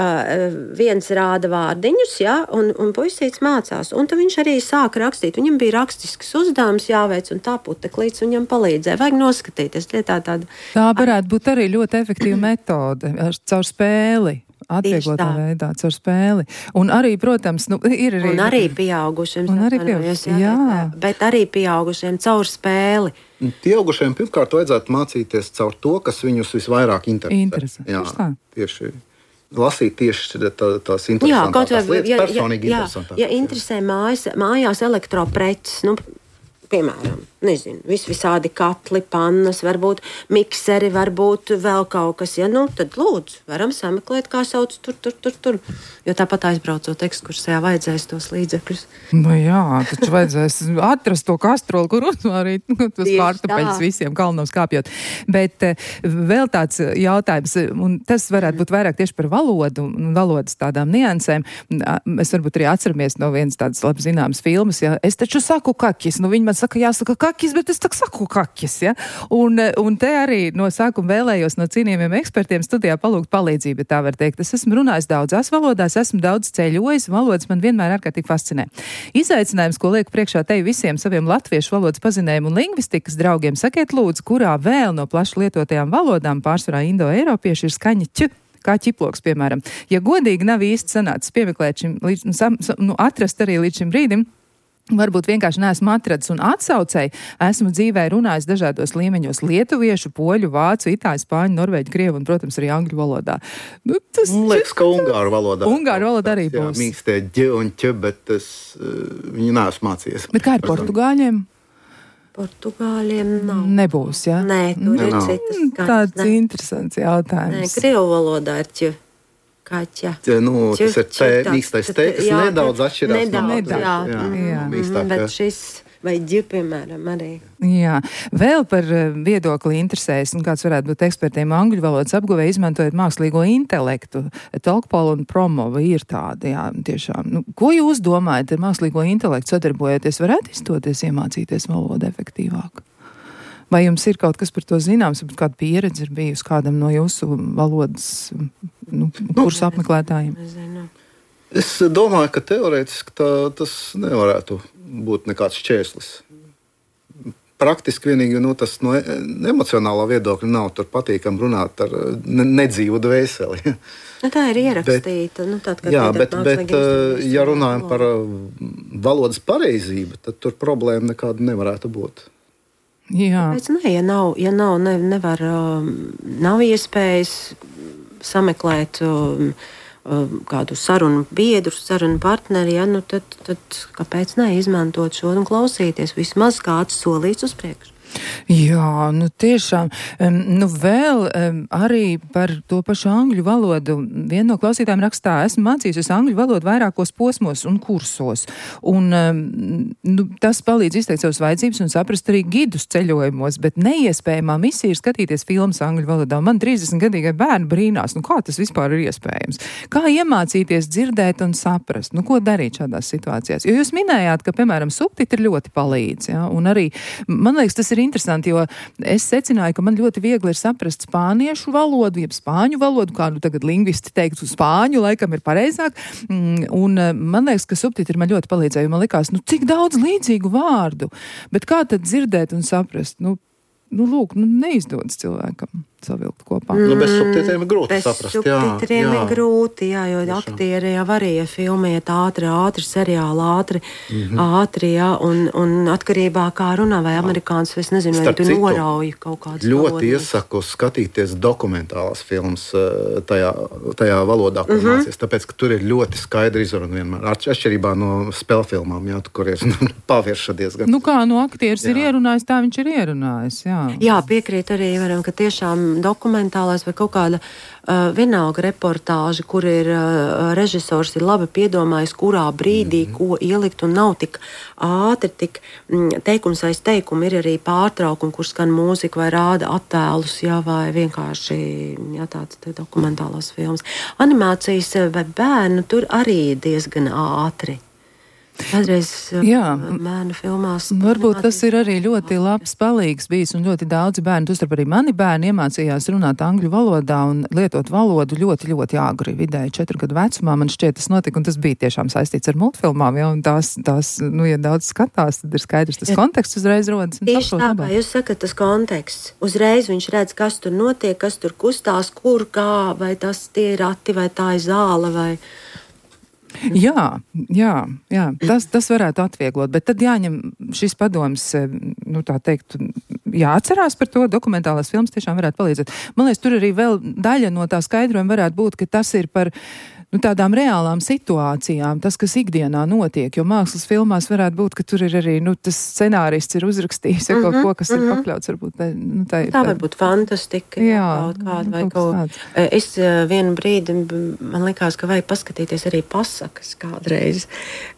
uh, viens rāda vārdiņus, ja, un, un puisīts mācās. Un tad viņš arī sāka rakstīt. Viņam bija rakstisks uzdevums jāveic, un tā puteklīts viņam palīdzēja. Vajag noskatīties. Tā, tāda... tā varētu būt arī ļoti efektīva metode caur spēli. Atviegotā veidā, caur spēli. Un arī, protams, nu, ir arī... Un arī pieaugušiem. Un arī pieaugušiem, jā. jā. Bet arī pieaugušiem caur spēli. Pieaugušiem pirmkārt vajadzētu mācīties caur to, kas viņus visvairāk interesē. Interesē. Jā, tieši lasīt tieši tā, tās interesantākās lietas, ja, personīgi ja, interesantākās. Ja interesē mājas, mājās elektropreces, nu, piemēram, nezinu, vis visādi katli, pannas, varbūt mikseri, varbūt vēl kaut kas, ja nu, tad lūdzu, varam sameklēt, kā sauc tur, tur, tur, tur. Jo tāpat aizbraucot ekskursijā vajadzēs tos līdzekļus. Nu jā, taču vajadzēs atrast to kastroli, kur uzvārīt, nu, tos kartupeļus visiem kalnos kāpjot. Bet vēl tāds jautājums, un tas varētu būt vairāk tieši par valodu un valodas tādām niansēm. Mēs varbūt arī atceramies no vienas tādas labi zināmas filmas, ja es taču saku kakis, nu viņi man saka, jāsaka kakis, bet es tak saku kakis, ja? Un, un te arī no sākuma vēlējos no cienījumiem ekspertiem studijā palūgt palīdzību, tā var teikt. Es esmu runājis daudzās valodās, esmu daudz ceļojis, valodas man vienmēr ārkārtīgi fascinē. Izaicinājums, ko lieku priekšā te visiem saviem latviešu valodas pazinējumu un lingvistikas draugiem, sakiet lūdzu, kurā vēl no plaši lietotajām valodām, pārsvarā indo-eiropieši, ir skaņa ķ, kā ķiploks, piemēram. Ja godīgi nav īsti sanācis piemeklēt šim, līdz, nu, atrast arī līdz šim brīdim, varbūt vienkārši neesmu atradis un atsaucēji, esmu dzīvē runājis dažādos līmeņos lietuviešu, poļu, vācu, itāļu, spāņu, norvēģu, krievu un, protams, arī angļu valodā. Nu, tas man liekas, ka ungāru valodā. Ungāru valodā arī būs. Jā, mīkstie ģi un ķi, bet es viņu neesmu mācījies. Bet kā ir portugāļiem? Portugāļiem nav. Nebūs, jā? Nē, tur ne, ir citas skaņas. Tāds ne. Interesants jautājums. Nē, krievu valodā ir ķi. Kaķa. Nu, tas ir te, mīkstais te, kas jā, nedaudz atšķirās. Nedaudz, no jā. jā. jā. jā. Mm, bet šis vai ģi, piemēram, arī. Jā. Vēl par viedokli interesēs, un kāds varētu būt ekspertiem angļu valodas apguvē, izmantojot mākslīgo intelektu. Talkpol un Promo ir tādi, jā, tiešām. Nu, ko jūs domājat ar mākslīgo intelektu sadarbojoties? Varētu izdoties iemācīties valodu efektīvāk? Vai jums ir kaut kas par to zināms, vai kāda pieredze ir bijusi kādam no jūsu valodas nu, kursu apmeklētājiem? Es domāju, ka teorētiski tā, tas nevarētu būt nekāds šķērslis. Praktiski vienīgi nu, tas no emocionālā viedokļa nav tur patīkam runāt ar ne, nedzīvu dvēseli. Nu, tā ir ierakstīta. Bet, nu, tād, jā, bet, bet ja runājam par valodas pareizību, tad tur problēma nekāda nevarētu būt. Jā. Pēc, ne, ja nav, ja nav, ne, nevar, nav iespējas sameklēt um, kādu sarunu biedru, sarunu partneri, ja, nu tad, tad kāpēc neizmantot šo un klausīties vismaz kāds solīts uz priekšu? Jā, nu tiešām. Um, nu vēl um, arī par to pašu angļu valodu. Viena no klausītājiem rakstā, esmu mācījusies angļu valodu vairākos posmos un kursos. Un um, nu, tas palīdz izteikt savas vajadzības un saprast arī gidus ceļojumos, bet neiespējamā misija ir skatīties filmas angļu valodā. Man trīsdesmitgadīgai bērni brīnās, nu kā tas vispār ir iespējams? Kā iemācīties dzirdēt un saprast? Nu ko darīt šādās situācijās? Jo jūs minējāt, ka, piemēram, subtitri ļoti palīdz, ja? Un arī, man liekas, tas ir interesanti, jo es secināju, ka man ļoti viegli ir saprast spāniešu valodu, jeb spāņu valodu, kā nu tagad lingvisti teiktu, spāņu laikam ir pareizāk, un man liekas, ka subtitri man ļoti palīdzēja, jo man likās, nu cik daudz līdzīgu vārdu, bet kā tad dzirdēt un saprast, nu, nu lūk, nu neizdodas cilvēkam savilkt kopā. Nu, bez subtitriem ir grūti bez saprast. Bez subtitriem ir grūti, jā, jo Tiešām. aktieri jau arī, ja filma iet ātri, ātri, seriāli ātri, mm-hmm. ātri, jā, un, un atkarībā kā runā, vai amerikāns, es nezinu, vai tu norauji kaut kādas ļoti valodas. iesaku skatīties dokumentālās filmas tajā, tajā valodā, ko mm-hmm. mācies, tāpēc, ka tur ir ļoti skaidri izruna vienmēr, atšķirībā no spēlfilmām, jā, kur ir pavērša diezgan. Nu kā, nu aktieris jā. ir ierunājis, tā viņš ir ierunājis, jā. Jā, piekrīt arī, varam, ka tiešām dokumentālais vai kaut kāda uh, vienalga reportāža, kur ir uh, režisors ir labi piedomājis, kurā brīdī mm-hmm. ko ielikt un nav tik ātri, tik mm, teikums aiz teikumu, ir arī pārtraukumi, kur skan mūzika vai rāda attēlus, jā, vai vienkārši jā, tāds te dokumentālās filmas. Animācijas vai bērnu tur arī diezgan ātri. Kādreiz bērnu filmās. Varbūt tas ir arī ļoti labs palīgs bijis un ļoti daudzi bērni, tostarp arī mani bērni iemācījās runāt angļu valodā un lietot valodu ļoti, ļoti āgri, vidēji četru gadu vecumā. Man šķiet, tas notika, un tas bija tiešām saistīts ar multfilmām, ja, un tās, tās, nu, ja daudz skatās, tad ir skaidrs, tas ja. konteksts uzreiz rodas. Tieši tā, kā jūs sakat, tas konteksts. Uzreiz viņš redz, kas tur notiek, kas tur kustās, kur, kā, vai tas tie ir rati, vai tā ir zāle, vai... Jā, jā, jā. Tas, tas varētu atvieglot, bet tad jāņem šis padoms, nu tā teikt, jāatcerās par to, dokumentālās filmas tiešām varētu palīdzēt. Man liekas, tur arī vēl daļa no tā skaidrojuma varētu būt, ka tas ir par nu, tādām reālām situācijām, tas, kas ikdienā notiek, jo mākslas filmās varētu būt, ka tur ir arī, nu, tas scenārists ir uzrakstījis, ja mm-hmm, kaut ko, kas mm-hmm. ir pakļauts, varbūt, ne, nu, tā ir. Tā var būt fantastika, jā, kaut kāda, vai kaut kaut. Es vienu brīdi, man likās, ka vajag paskatīties arī pasakas kādreiz,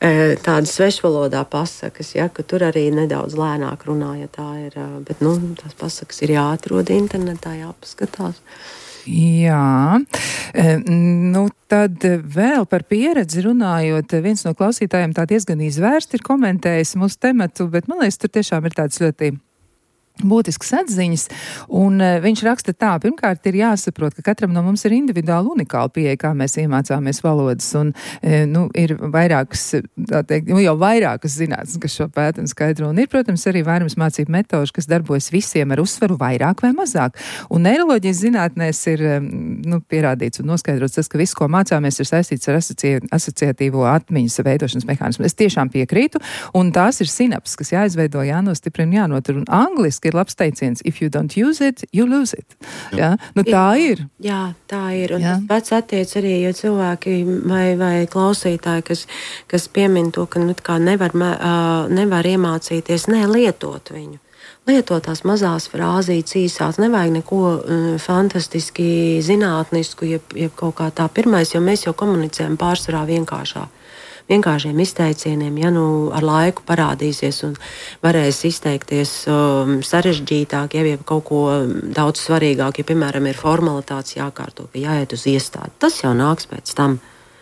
tādas svešvalodā pasakas, ja, ka tur arī nedaudz lēnāk runā, ja tā ir, bet, nu, tās pasakas ir jāatrod internetā, jāpaskatās. Jā, nu tad vēl par pieredzi runājot, viens no klausītājiem tā diezgan izvērsti ir komentējis mūsu tematu, bet man liekas, tur tiešām ir tāds ļoti būtisks atziņas, un uh, viņš raksta tā, pirmkārt ir jāsaprot, ka katram no mums ir individuāli unikāla pieeja, kā mēs iemācāmies valodas, un, uh, nu, ir vairākas, tā teikt, nu, jau vairākas zinātnes, kas šo pēta un skaidro, un ir, protams, arī vairums mācību metožu, kas darbojas visiem ar uzsvaru vairāk vai mazāk, un neiroloģijas zinātnēs ir, um, nu, pierādīts un noskaidrots tas, ka viss, ko mācāmies, ir saistīts ar asoci asociatīvo atmiņas veidošanas mehānismu. Es tiešām piekrītu, un tās ir sinapses, kas jāizveido, jānostiprina, jānotur, un angliski ir labs teiciens, if you don't use it, you lose it. Jā, nu tā ir. Jā, tā ir. Un jā. Tas pats attiec arī, jo cilvēki vai, vai klausītāji, kas, kas piemin to, ka nu, kā nevar, uh, nevar iemācīties, ne lietot viņu. Lietot tās mazās frāzītes īsās, nevajag neko uh, fantastiski zinātnisku, jeb, jeb kaut kā tā pirmais, jo mēs jau komunicējam pārsvarā vienkāršā. Vienkāršiem izteicieniem, ja nu ar laiku parādīsies un varēs izteikties um, sarežģītāk, ja jau kaut ko daudz svarīgāk, ja, piemēram, ir formalitātes jākārto, ka jāiet uz iestādi. Tas jau nāks pēc tam.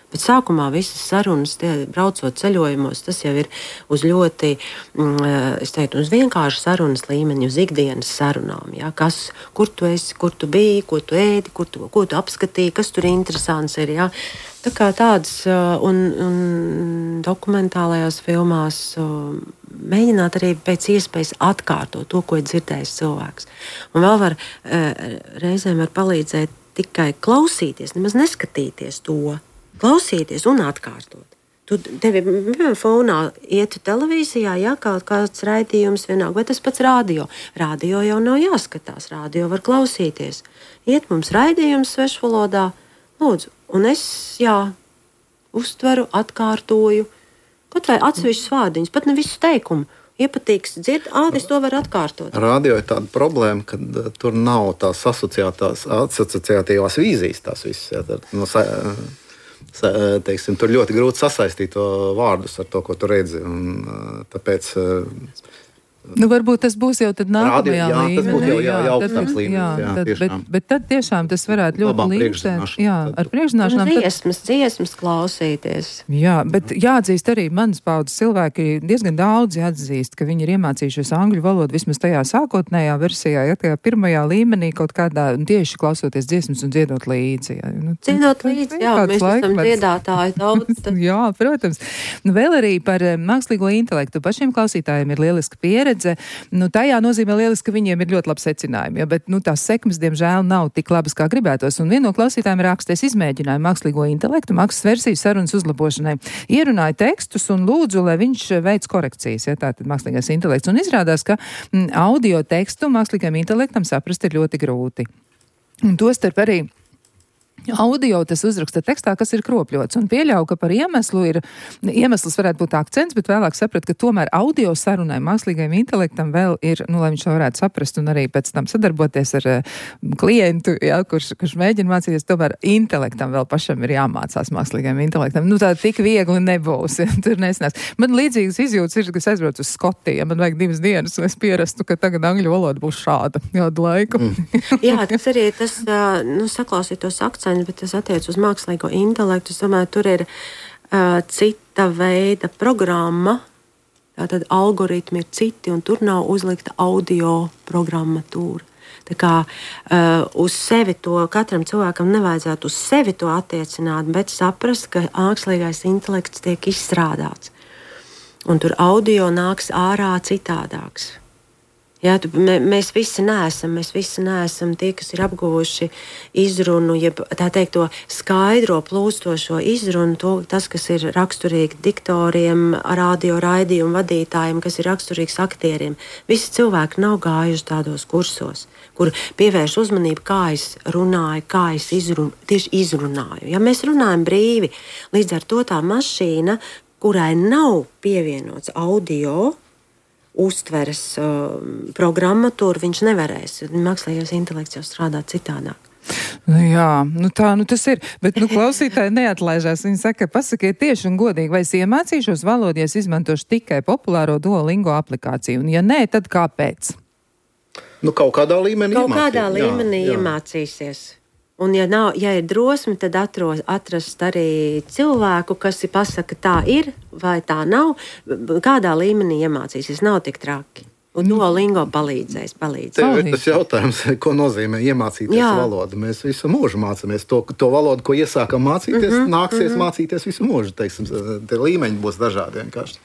Bet sākumā visas sarunas, tie, braucot ceļojumos, tas jau ir uz ļoti, mm, es teiktu, uz vienkārši sarunas līmeni, uz ikdienas sarunām. Ja? Kas, kur tu esi, kur tu biji, ko tu ēdi, kur tu, ko tu apskatīji, kas tur interesants ir. Ja? Tā kā tādas un, un dokumentālajās filmās mēģināt arī pēc iespējas atkārtot to, ko ir dzirdējis cilvēks. Un vēl var, reizēm var palīdzēt tikai klausīties, nemaz neskatīties to. Klausīties un atkārtot. Tu tevi, piemēram, fonā ietu televīzijā, ja kaut kāds raidījums vienāk, vai tas pats rādio. Rādio jau nav jāskatās, rādio var klausīties. Iet mums raidījums svešvalodā, lūdzu, un es, jā, uztveru, atkārtoju, kaut vai atsevišķus vārdiņus, pat ne visu teikumu. Iepatīks dzird, ā, es to varu atkārtot. Rādio ir tāda problēma, ka uh, tur nav tās asociētās, asociatīvās vīzijas tās visas. Jā, tā, no, sa, sa, teiksim, tur ļoti grūti sasaistīt to vārdus ar to, ko tu redzi. Un, uh, tāpēc... Uh, Nu, varbūt tas būs jau tad nākamajā Rādio, jā, līmenī. Tas būtu jau, jau, jau tad, augstāks līmenis. Jā, jā, tad, bet, bet tad tiešām tas varētu ļoti līdzēt. Jā, ar priekšzināšanām. Dziesmas, dziesmas klausīties. Jā, bet jāatzīst arī manas paudzes cilvēki diezgan daudzi atzīst, ka viņi ir iemācījušies angļu valodu vismaz tajā sākotnējā versijā, ja tajā pirmajā līmenī kaut kādā tieši klausoties dziesmas un dziedot līdzi. Jā, nu, dziedot līdzi, jā, mēs esam dziedātāji daudz. Jā, protams. Nu, vēl arī par mākslīgo intelektu. Pašiem klausītājiem ir lieliska pieredze. Nu, tajā nozīmē lieliski, ka viņiem ir ļoti labi secinājumi, ja, bet nu, tās sekmes, diemžēl, nav tik labas, kā gribētos. Un viena no klausītājiem raksties izmēģinājumu mākslīgo intelektu, mākslas versijas sarunas uzlabošanai. Ierunāja tekstus un lūdzu, lai viņš veic korekcijas, ja, tātad mākslīgais intelekts. Un izrādās, ka m, audio tekstu mākslīgajam intelektam saprast ir ļoti grūti. Un tostarp arī audio tas uzraksta tekstā, kas ir kropļots, un pieļauju, ka par iemeslu ir, iemesls varētu būt akcents, bet vēlāk saprat, ka tomēr audio sarunai mākslīgajam intelektam vēl ir, nu, lai viņš to varētu saprast un arī pēc tam sadarboties ar uh, klientu, jā, kurš, kurš mēģina mācīties, tomēr intelektam vēl pašam ir jāmācās mākslīgajam intelektam. Nu, tā tik viegli nebūs, ja, tur nesanās. Man līdzīgas izjūtas ir, ka es aizbraucu uz Skotiju, ja man vajag divas dienas, un es pierastu, ka tagad angļu valoda būs šāda kādu laiku. Mm. Jā, tas arī tas, uh, nu, saklausīt tos akcentus, bet tas attiec uz mākslīgo intelektu. Es domāju, tur ir uh, cita veida programma, tātad algoritmi ir citi, un tur nav uzlikta audio programmatūra. Tā kā uh, uz sevi to katram cilvēkam nevajadzētu uz sevi to attiecināt, bet saprast, ka mākslīgais intelekts tiek izstrādāts. Un tur audio nāks ārā citādāks. Jā, tu, mē, mēs visi neesam, mēs visi neesam tie, kas ir apguvuši izrunu, jeb tā teikt to skaidro plūstošo izrunu, to, tas, kas ir raksturīgi diktoriem, radio raidījumu vadītājiem, kas ir raksturīgs aktieriem. Visi cilvēki nav gājuši tādos kursos, kur pievērš uzmanību, kā es runāju, kā es izrun, tieši izrunāju. Ja mēs runājam brīvi, līdz ar to tā mašīna, kurai nav pievienots audio, uztveres uh, programmatūru, viņš nevarēs. Mākslīgais intelekts jau strādā citādāk. Nu jā, nu tā, nu tas ir. Bet, nu, klausītāji neatlaižās. Viņi saka, pasakiet tieši un godīgi, vai es iemācīšos valodu, ja es izmantošu tikai populāro Duolingo aplikāciju. Un ja nē, tad kāpēc? Nu, kaut kādā līmenī kaut iemācīt. kādā līmenī jā, jā. iemācīsies. Un, ja, nav, ja ir drosme, tad atros, atrast arī cilvēku, kas ir pasaka, tā ir vai tā nav. Kādā līmenī iemācīsies, nav tik traki. Un Duolingo palīdzēs. palīdzēs. Tev ir tas jautājums, ko nozīmē iemācīties jā. valodu. Mēs visu mūžu mācāmies. To, to valodu, ko iesākam mācīties, mm -hmm, nāksies mm -hmm. mācīties visu mūžu. Teiksim, te līmeņi būs dažādi vienkārši.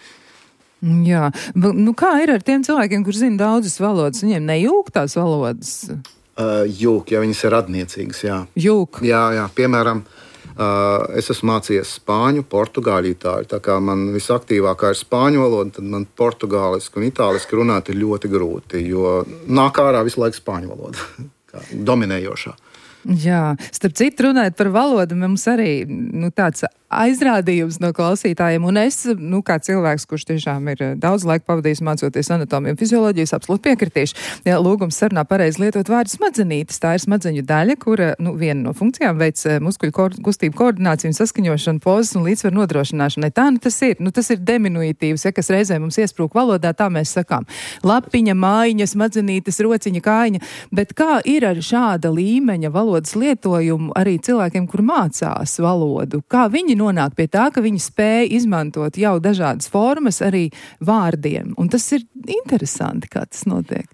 Jā, nu kā ir ar tiem cilvēkiem, kurš zina daudzas valodas? Viņiem nejūg tās valodas? Uh, jūk, ja viņas ir radniecīgas, jā. Jūk. Jā, jā, piemēram, uh, es esmu mācījies spāņu, portugāļu, itāļu. Tā kā man visaktīvākā ir spāņu valoda, tad man portugāliski un itāliski runāt ir ļoti grūti, jo nāk ārā visu laiku spāņu valoda, kā dominējošā. Jā, starp citu runājot par valodu, mums arī nu, tāds aizrādījums no klausītājiem, un es, nu, kā cilvēks, kurš tiešām ir daudz laika pavadījis mācoties anatomiju un fizioloģijas, absolūti piekritīšu. Jā, lūgums sarunā pareizi lietot vārdu smadzenītes. Tā ir smadzeņu daļa, kura, nu, viena no funkcijām veic muskuļu ko kustību koordināciju un saskaņošanu, pozas un līdzsvaru nodrošināšanai. Tā, nu, tas ir, nu, tas ir diminutīvs, ja, kas reizē mums iesprūk valodā, tā mēs sakām. Lapiņa, mājiņa, smadzenītes, rociņa, kājiņa, bet kā ir ar šāda līmeņa valodas lietojumu arī cilvēkiem, kur mācās valodu? Kā viņi nonāk pie tā, ka viņi spēj izmantot jau dažādas formas arī vārdiem. Un tas ir interesanti, kā tas notiek.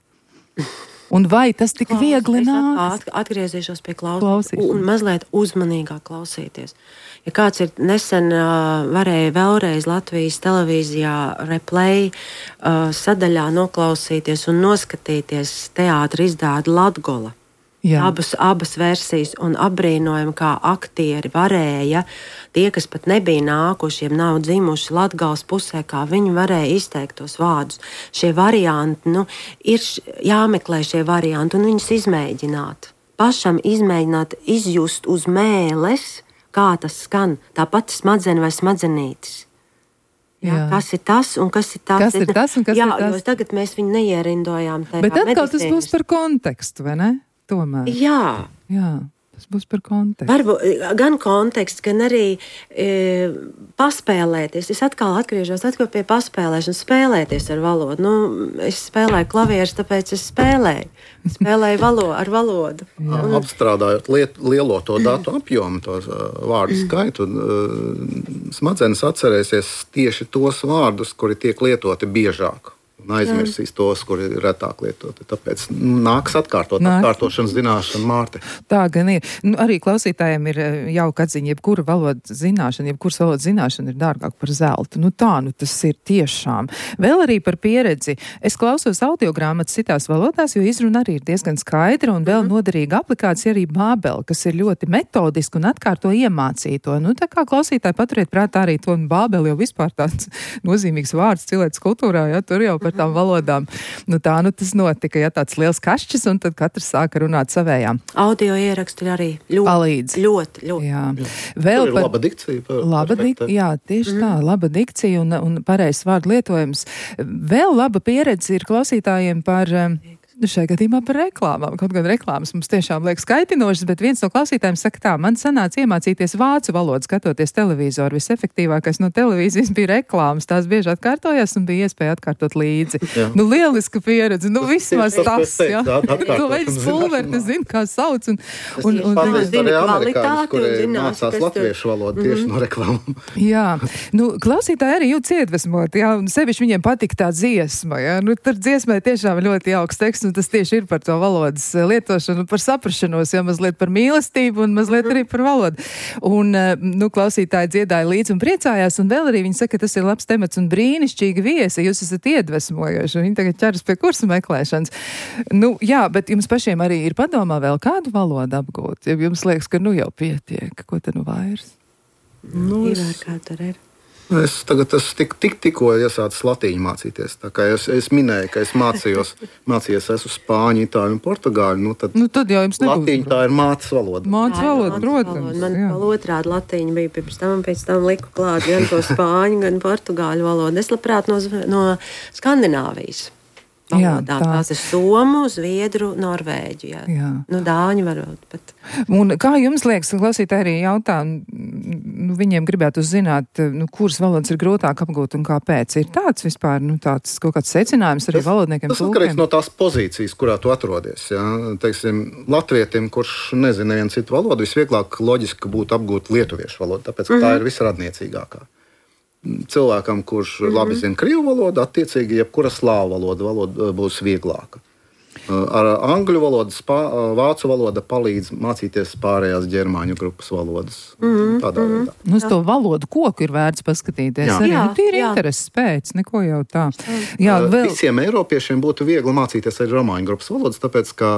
Un vai tas tik Klaus, viegli nāk? Atgriezīšos pie klausīšanas un mazliet uzmanīgāk klausīties. Ja kāds ir nesen uh, varēja vēlreiz Latvijas televīzijā replay uh, sadaļā noklausīties un noskatīties teātra izrādi Latgola. Abas, abas versijas un apbrīnojam, kā aktieri varēja, tie, kas pat nebija nākušiem, nav dzimuši Latgales pusē, kā viņi varēja izteikt tos vārdus. Šie varianti, nu, ir jāmeklē šie varianti un viņus izmēģināt. Pašam izmēģināt, izjust uz mēles, kā tas skan, tāpat smadzeni vai smadzenītis. Jā, jā. Kas ir tas un kas ir tas? Kas ir tas un kas jā, ir tas? Jo tagad mēs viņu neierindojām. Bet atkal tas būs par kontekstu, vai ne? Tomēr. Jā. Jā, tas būs par kontekstu. Varbūt gan konteksts, gan arī e, paspēlēties. Es atkal atgriežos atkal pie paspēlēšanas, spēlēties ar valodu. Nu, es spēlēju klavierus, tāpēc es spēlēju. Spēlēju valo, ar valodu. Un... Apstrādājot liet, lielo to datu apjomu, tos uh, vārdu skaitu, uh, smadzenes atcerēsies tieši tos vārdus, kuri tiek lietoti biežāk. Un aizmirsīs tos, kuri ir retāk lietoti. Tāpēc nāks atkārtot, Nāks. atkārtošanas zināšana, Mārte. Tā gan ir. Nu, arī klausītājiem ir jauka atziņa, jebkura valodas zināšana, jebkuras valodas zināšana ir dārgāk par zeltu. Nu tā, nu tas ir tiešām. Vēl arī par pieredzi. Es klausos audiogrāmatas citās valodās, jo izruna arī ir diezgan skaidra un vēl mm. noderīga aplikācija arī Bābele, kas ir ļoti metodiski un atkārto iemācīto. Nu tā kā klausītāji paturiet prātā arī to, un Bābele jau vispār tāds nozīmīgs vārds cilvēks kultūrā, ja tur jau par citām valodām. Nu tā, nu tas notika, ja tāds liels kašķis, un tad katrs sāka runāt savējām. Audio ieraksti arī ļoti, palīdz. ļoti, ļoti. Jā. Jā. Vēl par, par... laba dikcija. Par, laba dik... Jā, tieši mm. tā, laba dikcija un, un pareizs vārdu lietojums. Vēl laba pieredze ir klausītājiem par... Nu, šai gadījumā par reklāmām. Kaut gan reklāmas mums tiešām liekas kaitinošas, bet viens no klausītājiem saka tā, man sanāca iemācīties vācu valodu, skatoties televizoru. Visefektīvākais no televīzijas bija reklāmas. Tās bieži atkārtojās un bija iespēja atkārtot līdzi. Jā. Nu, lieliska pieredze. Nu, vismaz tas, jā. Tu veļas pulveri, tu zini, kā sauc. Un, un, un, un, zini kvalitāti, kuri mācās latviešu valodu tieši mm-hmm. no reklāmām. Jā. Nu, klausītāji arī jūtas iedvesmot, jā. Un sevišķi viņiem patika tā dziesma, jā. Nu, tur dziesmai tiešām ļoti jauks teksts. Un tas tieši ir par to valodas lietošanu, par saprašanos, jo mazliet par mīlestību un mazliet arī par valodu. Un, nu, klausītāji dziedāja līdzi un priecājās, un vēl arī viņi saka, ka tas ir labs temats un brīnišķīgi viesi, jūs esat iedvesmojoši, un viņi tagad ķeras pie kursu meklēšanas. Nu, jā, bet jums pašiem arī ir padomā vēl kādu valodu apgūt, ja jums liekas, ka nu jau pietiek, ko te nu vairs? Nu, ir kā tur ir. Es tagad esmu tik, tik, tikko iesācis latīņu mācīties. Tā kā es, es minēju, ka es mācījos, mācījos esmu spāņu, itāļu un portugāļu. Nu tad, nu, tad jau jums nebūs. Latīņa tā ir mācas valoda. Mācas valoda, protams. Man vēl otrādi latīņa bija pirms tam, pēc tam liku klāt gan to spāņu, gan portugāļu valodu. Es labprāt no, no Skandināvijas. Jā, tā. Tās ir somu, zviedru, norvēģu. Jā. Jā. Nu, dāņu varbūt. Bet... Un kā jums liekas, klausītāji arī jautā, nu, viņiem gribētu zināt, nu, kuras valodas ir grūtāk apgūt un kāpēc? Ir tāds vispār, nu, tāds kaut kāds secinājums arī tas, valodniekiem? Tas atkarīgs no tās pozīcijas, kurā tu atrodies. Jā. Teiksim, latvietim, kurš nezina nevienu citu valodu, visvieglāk loģiski būtu apgūt lietuviešu valodu, tāpēc, ka mm-hmm. tā ir visradniecīgākā. Cilvēkam, kurš mm-hmm. labi zina krievu valodu, attiecīgi jebkura slāvu valoda, valoda būs vieglāka. Ar angļu valodu, spā, vācu valoda palīdz mācīties pārējās ģermāņu grupas valodas. Mm-hmm. Tādā veidā. Nu, uz to valodu koku ir vērts paskatīties. Jā. Arī jā, nu, tīri intereses pēc, neko jau tā. Jā, vēl... Visiem eiropiešiem būtu viegli mācīties arī romāņu grupas valodas, tāpēc, ka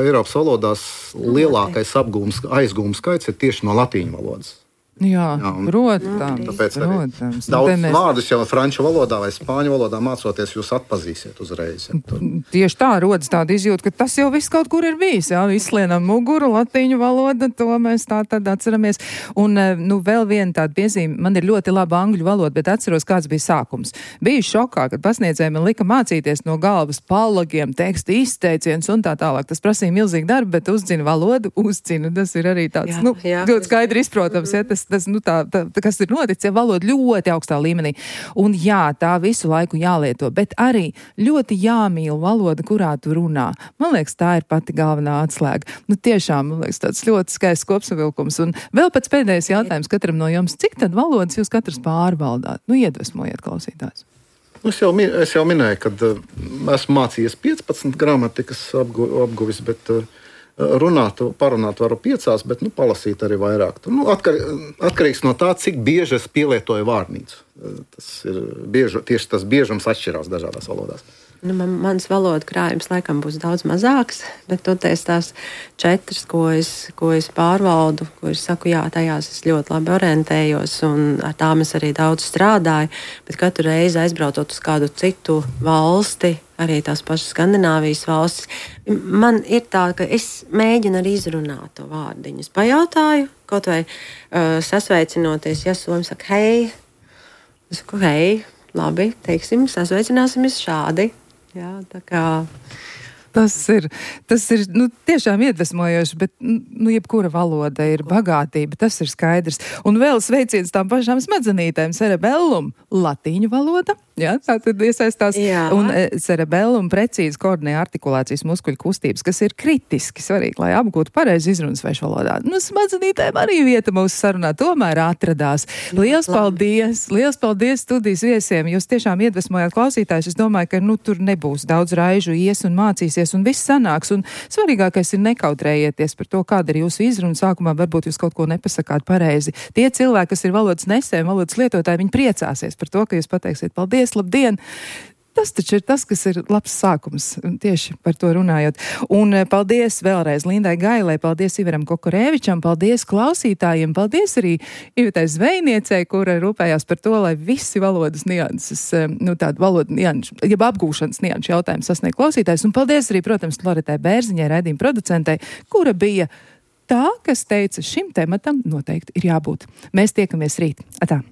Eiropas valodās lielākais apgūms, aizgūms skaits ir tieši no latīņu valodas. Jā, jā protams. Tāpēc protams. Daudz mēs... vārdus jau franču valodā vai spāņu valodā mācoties, jūs atpazīsiet uzreiz. Ja, tieši tā rodas tāda izjūta, ka tas jau viss kaut kur ir bijis. Jā, izslienam muguru, latīņu valoda, to mēs tā tad atceramies. Un, nu, vēl viena tāda piezīme, man ir ļoti laba angļu valoda, bet atceros, kāds bija sākums. Biju šokā, kad pasniedzēji man lika mācīties no galvas palagiem, teksta izteiciens un tā tālāk. Tas prasīja milzīgi darbu, bet uzzina valodu, uzzina. Tas ir arī tāds, jā, nu, jā, ļoti skaidri izprotams, ja tas Tas, nu, tā, tā, tā, kas ir noticis, ja valoda ļoti augstā līmenī. Un jā, tā visu laiku jālieto, bet arī ļoti jāmīl valoda, kurā tu runā. Man liekas, tā ir pati galvenā atslēga. Nu, tiešām, man liekas, tāds ļoti skaists kopsavilkums. Un vēl pēc pēdējais jautājums katram no jums, cik tad valodas jūs katrs pārvaldāt? Nu, iedvesmojiet klausītājs. Es jau, es jau minēju, kad uh, esmu mācījies piecpadsmit gramatikas apgu, apguvis, bet... Uh, Runāt, parunāt varu piecās, bet nu, palasīt arī vairāk. Nu, atkar, atkarīgs no tā, cik bieži es pielietoju vārnīcu. Tas ir bieži, tieši tas biežums atšķirās dažādās valodās. Nu, man, mans valodu krājums laikam būs daudz mazāks, bet toties tās četras, ko es, ko es pārvaldu, ko es saku, jā, tajās es ļoti labi orientējos un ar tām es arī daudz strādāju, bet katru reizi aizbraucot uz kādu citu valsti, arī tās pašas Skandināvijas valstis, man ir tā, ka es mēģinu arī izrunāt to vārdiņu. Es pajautāju, kaut vai uh, sasveicinoties, ja somi saka, hei, es saku, hei, labi, teiksim, sasveicināsimies šādi. Jā, tā kā... Tas ir, tas ir nu, tiešām iedvesmojoši, bet nu, jebkura valoda ir bagātība, tas ir skaidrs. Un vēl sveiciens tām pašām smadzenītēm, cerebellum, latīņu valoda, jā, tā tad iesaistās, jā. Un e, cerebellum precīzi koordinē artikulācijas muskuļu kustības, kas ir kritiski svarīgi, lai apgūtu pareizi izrunas svešu valodā. Nu, smadzenītēm arī vieta mūsu sarunā tomēr atradās. Liels paldies, liels paldies studijas viesiem, jūs tiešām iedvesmojāt klausītājus, es domāju, ka nu, tur nebūs daudz raižu ies un mācīsies, un viss sanāks, un svarīgākais ir nekautrējieties par to, kāda ir jūsu izruna. Sākumā varbūt jūs kaut ko nepasakāt pareizi. Tie cilvēki, kas ir valodas nesēji, valodas lietotāji, viņi priecāsies par to, ka jūs pateiksiet paldies, labdien! Tas taču ir tas, kas ir labs sākums, tieši par to runājot. Un paldies vēlreiz Lindai Gailai, paldies Ivaram Kokorēvičam, paldies klausītājiem, paldies arī Ivetai Zvejniecei, kura rūpējās par to, lai visi valodas nianses, nu tādu valodu nianšu, jeb apgūšanas nianšu jautājumu sasniegt klausītājs. Un paldies arī, protams, Loretai Bērziņai, raidījuma producentei, kura bija tā, kas teica, šim tematam noteikti ir jābūt. Mēs tiekamies rīt. Atā!